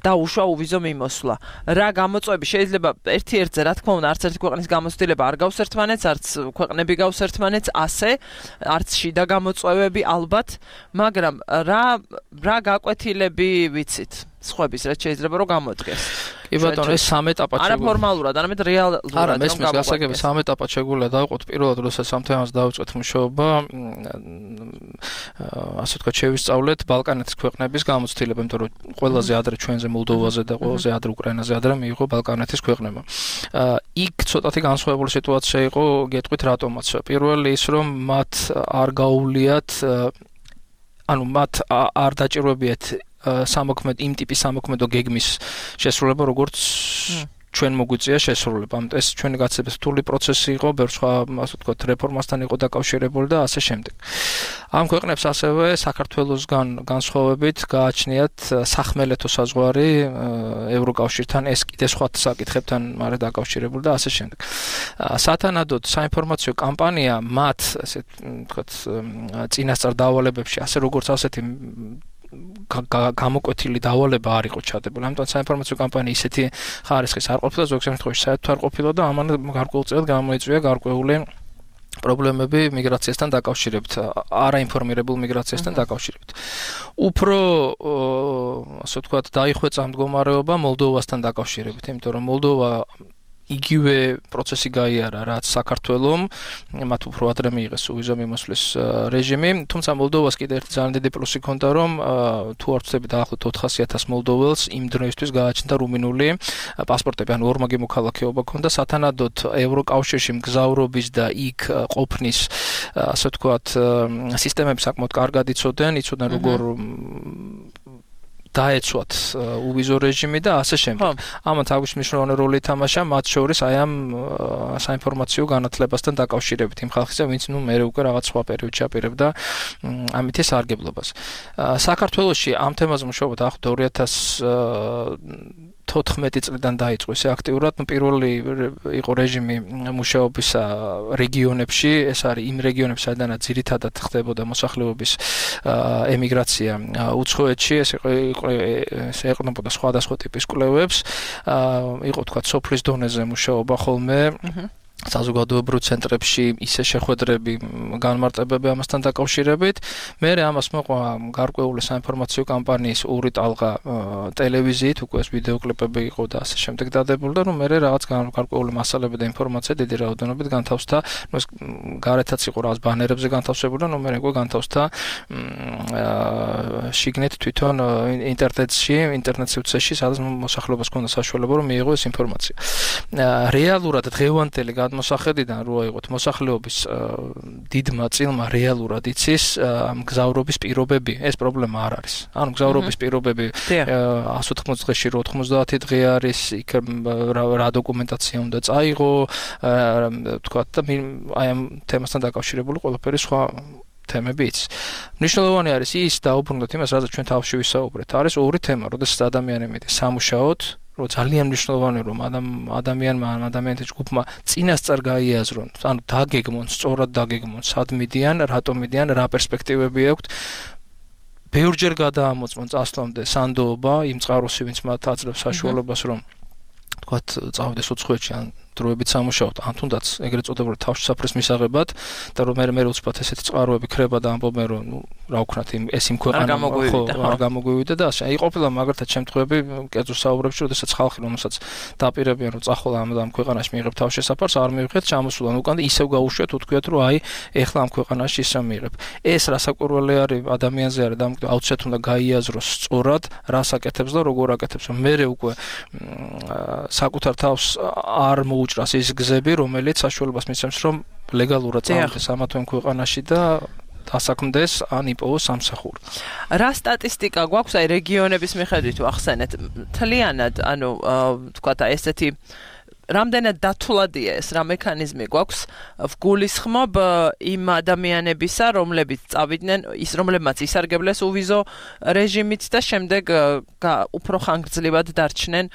და უშვა უვიზო მიმოსვლა. რა გამოწვევები შეიძლება ერთ-ერთზე, რა თქმა უნდა, არც ერთი ქვეყნის გამოცდილება არ გავს ერთმანეთს, არც ქვეყნები გავს ერთმანეთს, ასე, არც შიდა გამოწვევები ალბათ, მაგრამ რა რა გაკვეთილები ვიცით? სხვების რაც შეიძლება რომ გამოდგეს. კი ბატონო, ეს სამ ეტაპად შეგვიძლია. არა ფორმალურად, არამედ რეალურად. არა, მესმის გასაგები სამ ეტაპად შეგვიძლია დავყოთ. პირველად, როდესაც ამ თემას დავიწყეთ მუშაობა, ასე ვთქვათ, შევისწავლეთ ბალკანეთის ქვეყნების გამოცდილება, იმიტომ რომ ყველაზე ადრე ჩვენზე მოლდოვაზე და ყველაზე ადრე უკრაინაზე ადრე მიიღო ბალკანეთის ქვეყნებმა. იქ ცოტათი განსხვავებული სიტუაცია იყო, გეტყვით რატომაც. პირველი ის, რომ მათ არ გაუვლიათ, ანუ მათ არ დაჭირვებიათ სამოქმედო იმ ტიპის სამოქმედო გეგმის შესრულება, როგორც ჩვენ მოგვიწია შესრულება. ამიტომ ეს ჩვენი გაცილებით რთული პროცესი იყო, ბევრ სხვა, ასე ვთქვათ, რეფორმასთან იყო დაკავშირებული და ასე შემდეგ. ამ ქვეყნებს ასევე საქართველოსგან განსხვავებით გააჩნიათ სახმელეთო საზღვარი ევროკავშირთან, ეს კიდე სხვა საკითხებთან არის დაკავშირებული და ასე შემდეგ. სათანადოდ საინფორმაციო კამპანია მათ, ასე ვთქვათ, წინასწარ დავალებებში, ასე როგორც ასეთი გამოკვეთილი დავალება არ იყო ჩადებული. ამიტომ საინფორმაციო კამპანია ისეთი ხარისხის არ ყოფილა, ზოგ შემთხვევაში საერთოდ არ ყოფილა და ამან გარკვეულწილად გამოიწვია გარკვეული პრობლემები მიგრაციასთან დაკავშირებით, არაინფორმირებულ მიგრაციასთან დაკავშირებით. უფრო, ასე ვთქვათ, დაიხვეწა მდგომარეობა მოლდოვასთან დაკავშირებით, იმიტომ რომ მოლდოვა იგივე პროცესი გაიარა, რაც საქართველომ, მათ უფრო ადრე მიიღეს უვიზო მიმოსვლის რეჟიმი, თუმცა მოლდოვას კიდევ ერთი ძალიან დიდი პლუსი ჰქონდა, რომ თუ არ ვცდები დაახლოებით ოთხასი ათასი მოლდოველს იმ დროისთვის გააჩნდა რუმინული პასპორტები, ანუ ორმაგი მოქალაქეობა ჰქონდა, სათანადოდ ევროკავშირში მგზავრობის და იქ ყოფნის, ასე ვთქვათ, სისტემები საკმაოდ კარგად იცოდნენ, იცოდნენ როგორ დაეცვათ უვიზო რეჟიმი და ასე შემდეგ. ამათ აგვისტოს მნიშვნელოვანი როლი ითამაშა მათ შორის აი ამ საინფორმაციო განათლებასთან დაკავშირებით იმ ხალხისა, ვინც ნუ მე უკვე რაღაც სხვა პერიოდში აპირებდა ამითი სარგებლობას. საქართველოში ამ თემაზე მუშაობა დაახლოებით ორი ათას თოთხმეტი წლიდან დაიწყო ესე აქტიურად, ну პირველი იყო რეჟიმი მუშაობისა რეგიონებში, ეს არის იმ რეგიონებში, სადაც ძირითადად ხდებოდა მოსახლეობის ემიგრაცია უცხოეთში, ეს იყო ეს ეყრდნობოდა სხვადასხვა ტიპის კვლევებს, იყო თქვა სოფლის დონეზე მუშაობა ხოლმე. საზოგადოებრივ ცენტრებში ისე შეხვედრები, განმარტებები ამასთან დაკავშირებით. მე ამას მოყვა გარკვეული საინფორმაციო კამპანიის ორი ტალღა ტელევიზიით, უკვე ეს ვიდეო კლიპები იყო და ასე შემდეგ დადებული და ნუ მე რაღაც გარკვეული მასალები და ინფორმაცია დიდი რაოდენობით განთავსდა. ნუ ეს გარეთაც იყო რაღაც ბანერებზე განთავსებული და ნუ მე უკვე განთავსდა შიგნით თვითონ ინტერნეტში, ინტერნეტ სივრცეში, სადაც მოსახლეობას ჰქონდა საშუალება რომ მიიღო ეს ინფორმაცია. რეალურად დღევანდელი მოსახედიდან რო აიღოთ მოსახლეობის დიდმა წილმა რეალურად იცის მგზავრობის პირობები, ეს პრობლემა არ არის. ანუ მგზავრობის პირობები εκατს ოთხმოცდაოთხ დღეში რო ოთხმოცდაათი დღე არის, იქ რა დოკუმენტაცია უნდა წაიღო, თქვა და აი ამ თემასთან დაკავშირებული ყველაფერი სხვა თემები იცის. მნიშვნელოვანი არის ის დაუბრუნდეთ იმას, რაზეც ჩვენ თავში ვისაუბრეთ. არის ორი თემა, როდესაც ადამიანი მეტი სამუშაოდ რომ ძალიან მნიშვნელოვანი რომ ადამიანმა ან ადამიანთა ჯგუფმა წინასწარ გაიაზრონ, ანუ დაგეგმონ, სწორად დაგეგმონ, სად მიდიან, რატომ მიდიან, რა პერსპექტივები აქვთ. ბევრჯერ გადაამოწმონ წასვლამდე სანდოობა იმ წყაროსი, ვინც მათ აძლევს საშუალებას რომ თქვათ წავიდეს უცხოეთში ან დროებით სამუშაოდ, ან თუნდაც ეგრეთ წოდებული თავშესაფრის მისაღებად და რომ მე მე უცბად ესეთი წყაროები ქრება და ამბობენ რომ ნუ რა ვქნათ იმ ეს იმ ქვეყანა ხო არ გამოგვივიდა და ასე. აი ყოფილა მაგალითად შემთხვევები კერძო საუბრებში, როდესაც ხალხი რომელსაც დაპირებიან რომ წახვალ ამ ამ ქვეყანაში მიიღებ თავშესაფარს, არ მიიღეთ, ჩამოსულან უკან და ისევ გაუშვათ, უთქვიათ რომ აი ეხლა ამ ქვეყანაში ისე მიიღებ. ეს რასაკვირველი არის ადამიანზე არის და აუცილებლად უნდა გაიაზროს სწორად, რას აკეთებს და როგორ აკეთებს. მე უკვე საკუთარ თავს არ უჭრას ის გზები, რომელიც საშუალებას მისცემს, რომ ლეგალურად წავიდეს ამა თუ იმ ქვეყანაში და დასაქმდეს ან იპოვოს სამსახური. რა სტატისტიკა გვაქვს აი რეგიონების მიხედვით ვახსენეთ? მთლიანად, ანუ თქვა და ესეთი რამდენად დათვლადია ეს რა მექანიზმი გვაქვს ვგულისხმობ იმ ადამიანებისა, რომლებიც წავიდნენ, ის რომლებმაც ისარგებლეს უვიზო რეჟიმით და შემდეგ უფრო ხანგრძლივად დარჩნენ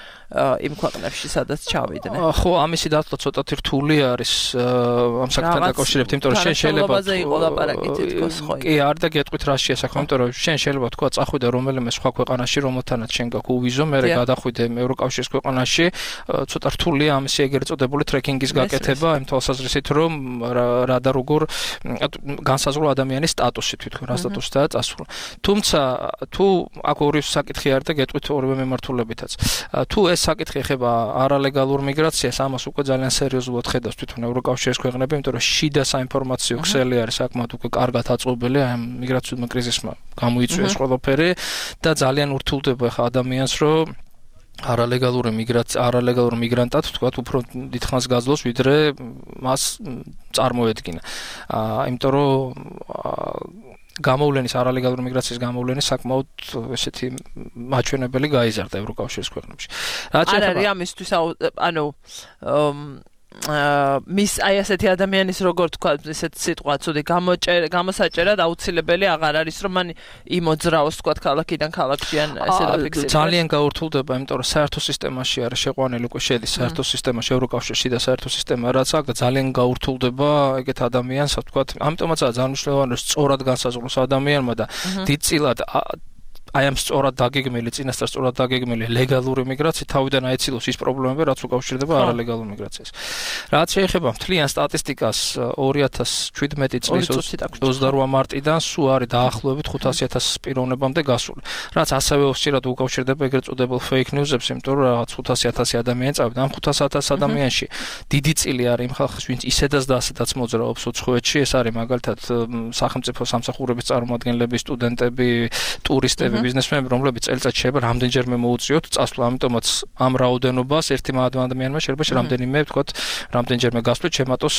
იმ ქვეყნებში, სადაც ჩავიდნენ. ხო, ამისი დათვლა ცოტათი რთული არის ამ საკითხთან დაკავშირებით, იმიტომ რომ შენ შეიძლება იყო ლაპარაკი თითქოს ხო. კი, არ და გეტყვით რა შეასახმე, იმიტომ რომ შენ შეიძლება თქვა წახვიდე რომელიმე სხვა ქვეყანაში, რომელთანაც შენ გაქვს უვიზო, მერე გადახვიდე ევროკავშირის ქვეყანაში, ცოტა რთულია ამისი ეგრეთ წოდებული ტრეკინგის გაკეთება, იმ თვალსაზრისით რომ რა და როგორ განსაზღვრა ადამიანის სტატუსი თვითონ, რა სტატუსითაა წასვლა. თუმცა თუ აქ ორი საკითხი არის და გეტყვით ორივე მიმართულებითაც. თუ ეს საკითხი ეხება არალეგალურ მიგრაციას, ამას უკვე ძალიან სერიოზულად ხედავს თვითონ ევროკავშირის ქვეყნები, იმიტომ რომ შიდა საინფორმაციო ქსელი არის საკმაოდ უკვე კარგად აწყობილი ამ მიგრაციულ კრიზისმა გამოიწვია ეს ყველაფერი და ძალიან ურთულდება ხა ადამიანს რომ არალეგალური მიგრაცია, არალეგალურ მიგრანტად თქვათ უფრო დიდხანს გაძლოს, ვიდრე მას წარმოედგინა. აა, იმიტომ რომ გამოვლენის არალეგალური მიგრაციის გამოვლენის საკმაოდ ესეთი მაჩვენებელი გაიზარდა ევროკავშირის ქვეყნებში. რაც არ არის ამისთვის, ანუ მის აი ასეთი ადამიანის როგორ თქვა ესეთი სიტყვა ცუდი გამოსაჭერად აუცილებელი აღარ არის რომ მან იმოძრაოს თქვა ქალაქიდან ქალაქში ან ესე დაფიქსირდეს. ძალიან გაურთულდება, იმიტომ რომ საერთო სისტემაში არის შეყვანილი უკვე შედის საერთო სისტემაში ევროკავშირში და საერთო სისტემა რაც აქვს და ძალიან გაურთულდება ეგეთ ადამიანს თქვა. ამიტომაცაა ძალიან მნიშვნელოვანი რომ სწორად განსაზღვროს ადამიანმა და დიდწილად აი ამ სწორად დაგეგმილი, წინასწარ სწორად დაგეგმილი ლეგალური მიგრაცია თავიდან აეცილოს ის პრობლემები, რაც უკავშირდება არალეგალურ მიგრაციას. რაც შეეხება მთლიან სტატისტიკას ორი ათას შვიდმეტი წლის ოცდაოთხ მარტიდან სულ არის დაახლოებით ხუთასი ათასის პიროვნებამდე გასული. რაც ასევე უსწრაფოდ უკავშირდება ეგრეთ წოდებულ fake news-ებს, იმიტომ რომ რაღაც ხუთასი ათასი ადამიანი წავიდა. ამ ხუთასი ათას ადამიანში დიდი წილი არის იმ ხალხის, ვინც ისედაც და ასედაც მოძრაობს უცხოეთში, ეს არის მაგალითად სახელმწიფო სამსახურების წარმომადგენლები, სტუდენტები, ტურისტები, ბიზნესმენები, რომლებიც წელიწადში შეიძლება რამდენჯერმე მოუწიოთ წასვლა, ამიტომაც ამ რაოდენობას ერთი ადამიანმა შეიძლება რამდენიმე, ვთქვათ, რამდენჯერმე გასვლით შემატოს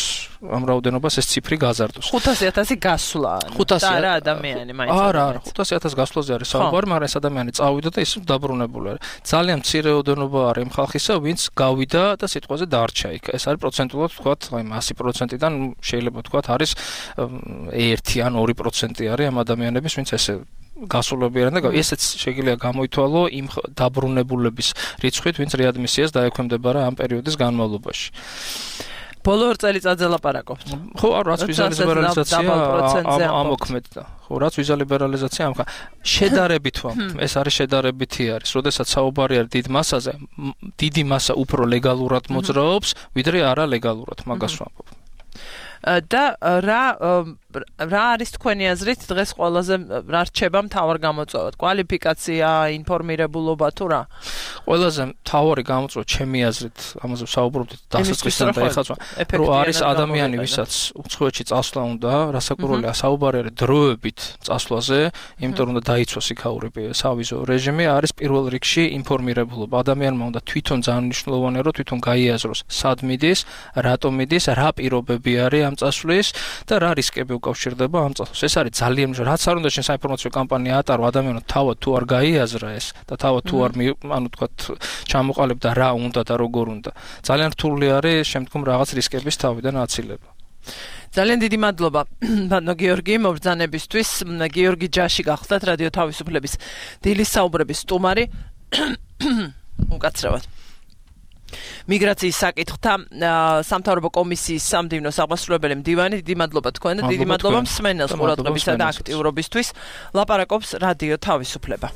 ამ რაოდენობას ეს ციფრი გაზარდოს. ხუთასი ათასი გასვლა. და არა ადამიანი მაინც. არა, არა, ხუთასი ათას გასვლაზე არის საუბარი, მაგრამ ეს ადამიანი წავიდა და ის დაბრუნებული არის. ძალიან მცირე რაოდენობა არის იმ ხალხისა, ვინც გავიდა და სიტყვაზე დარჩა იქ. ეს არის პროცენტულად, ვთქვათ, აი ასი პროცენტიდან შეიძლება ვთქვათ არის ერთი ან ორი პროცენტი არის ამ ადამიანების, ვინც ესე გასულებიან და ესეც შეიძლება გამოითვალო იმ დაბრუნებულების რიცხვით, ვინც რეადმისიას დაექვემდებარა ამ პერიოდის განმავლობაში. ბოლო ორ წელიწადზე ლაპარაკობთ. ხო, რაც ვიზა ლიბერალიზაცია ამოქმედდა. ხო, რაც ვიზა ლიბერალიზაცია ამხა შედარებით ვამბობ, ეს არის შედარებითი არის. როდესაც საუბარი არის დიდ მასაზე, დიდი მასა უფრო ლეგალურად მოძრაობს, ვიდრე არალეგალურად, მაგას ვამბობ. და რა რა არის თქვენი აზრით დღეს ყველაზე რა რჩება მთავარ გამოწვევად? კვალიფიკაცია, ინფორმირებულობა თუ რა? ყველაზე მთავარი გამოწვევა ჩემი აზრით, ამაზე ვსაუბრობთ დასაწყისიდან და ეხლა რომ არის ადამიანი, ვისაც უცხოეთში წასვლა უნდა, რასაკვირველია, საუბარი არის დროებით წასვლაზე, იმიტომ რომ უნდა დაიცვას იქაური სავიზო რეჟიმი, არის პირველ რიგში ინფორმირებულობა. ადამიანმა უნდა თვითონ ძალიან მნიშვნელოვანია, რომ თვითონ გაიაზროს, სად მიდის, რატომ მიდის, რა პირობები არის ამ წასვლის და რა რისკები უკავშირდება ამ წასვლას. ეს არის ძალიან მნიშვნელოვანი. რაც არ უნდა შენ საინფორმაციო კამპანია ატარო, ადამიანმა თავად თუ არ გაიაზრა ეს და თავად თუ არ ანუ თქვა ჩამოყალიბდა რა უნდა და როგორ უნდა. ძალიან რთული არის შემდგომ რაღაც რისკების თავიდან აცილება. ძალიან დიდი მადლობა ბატონო გიორგი მობრძანებისთვის. გიორგი ჯაში გახლდათ რადიო თავისუფლების დილის საუბრების სტუმარი. უკაცრავად. მიგრაციის საკითხთა სამთავრობო კომისიის სამდივნო აღმასრულებელი მდივანი, დიდი მადლობა თქვენ და დიდი მადლობა მსმენელს ყურადღებისა და აქტიურობისთვის. ლაპარაკობს რადიო თავისუფლება.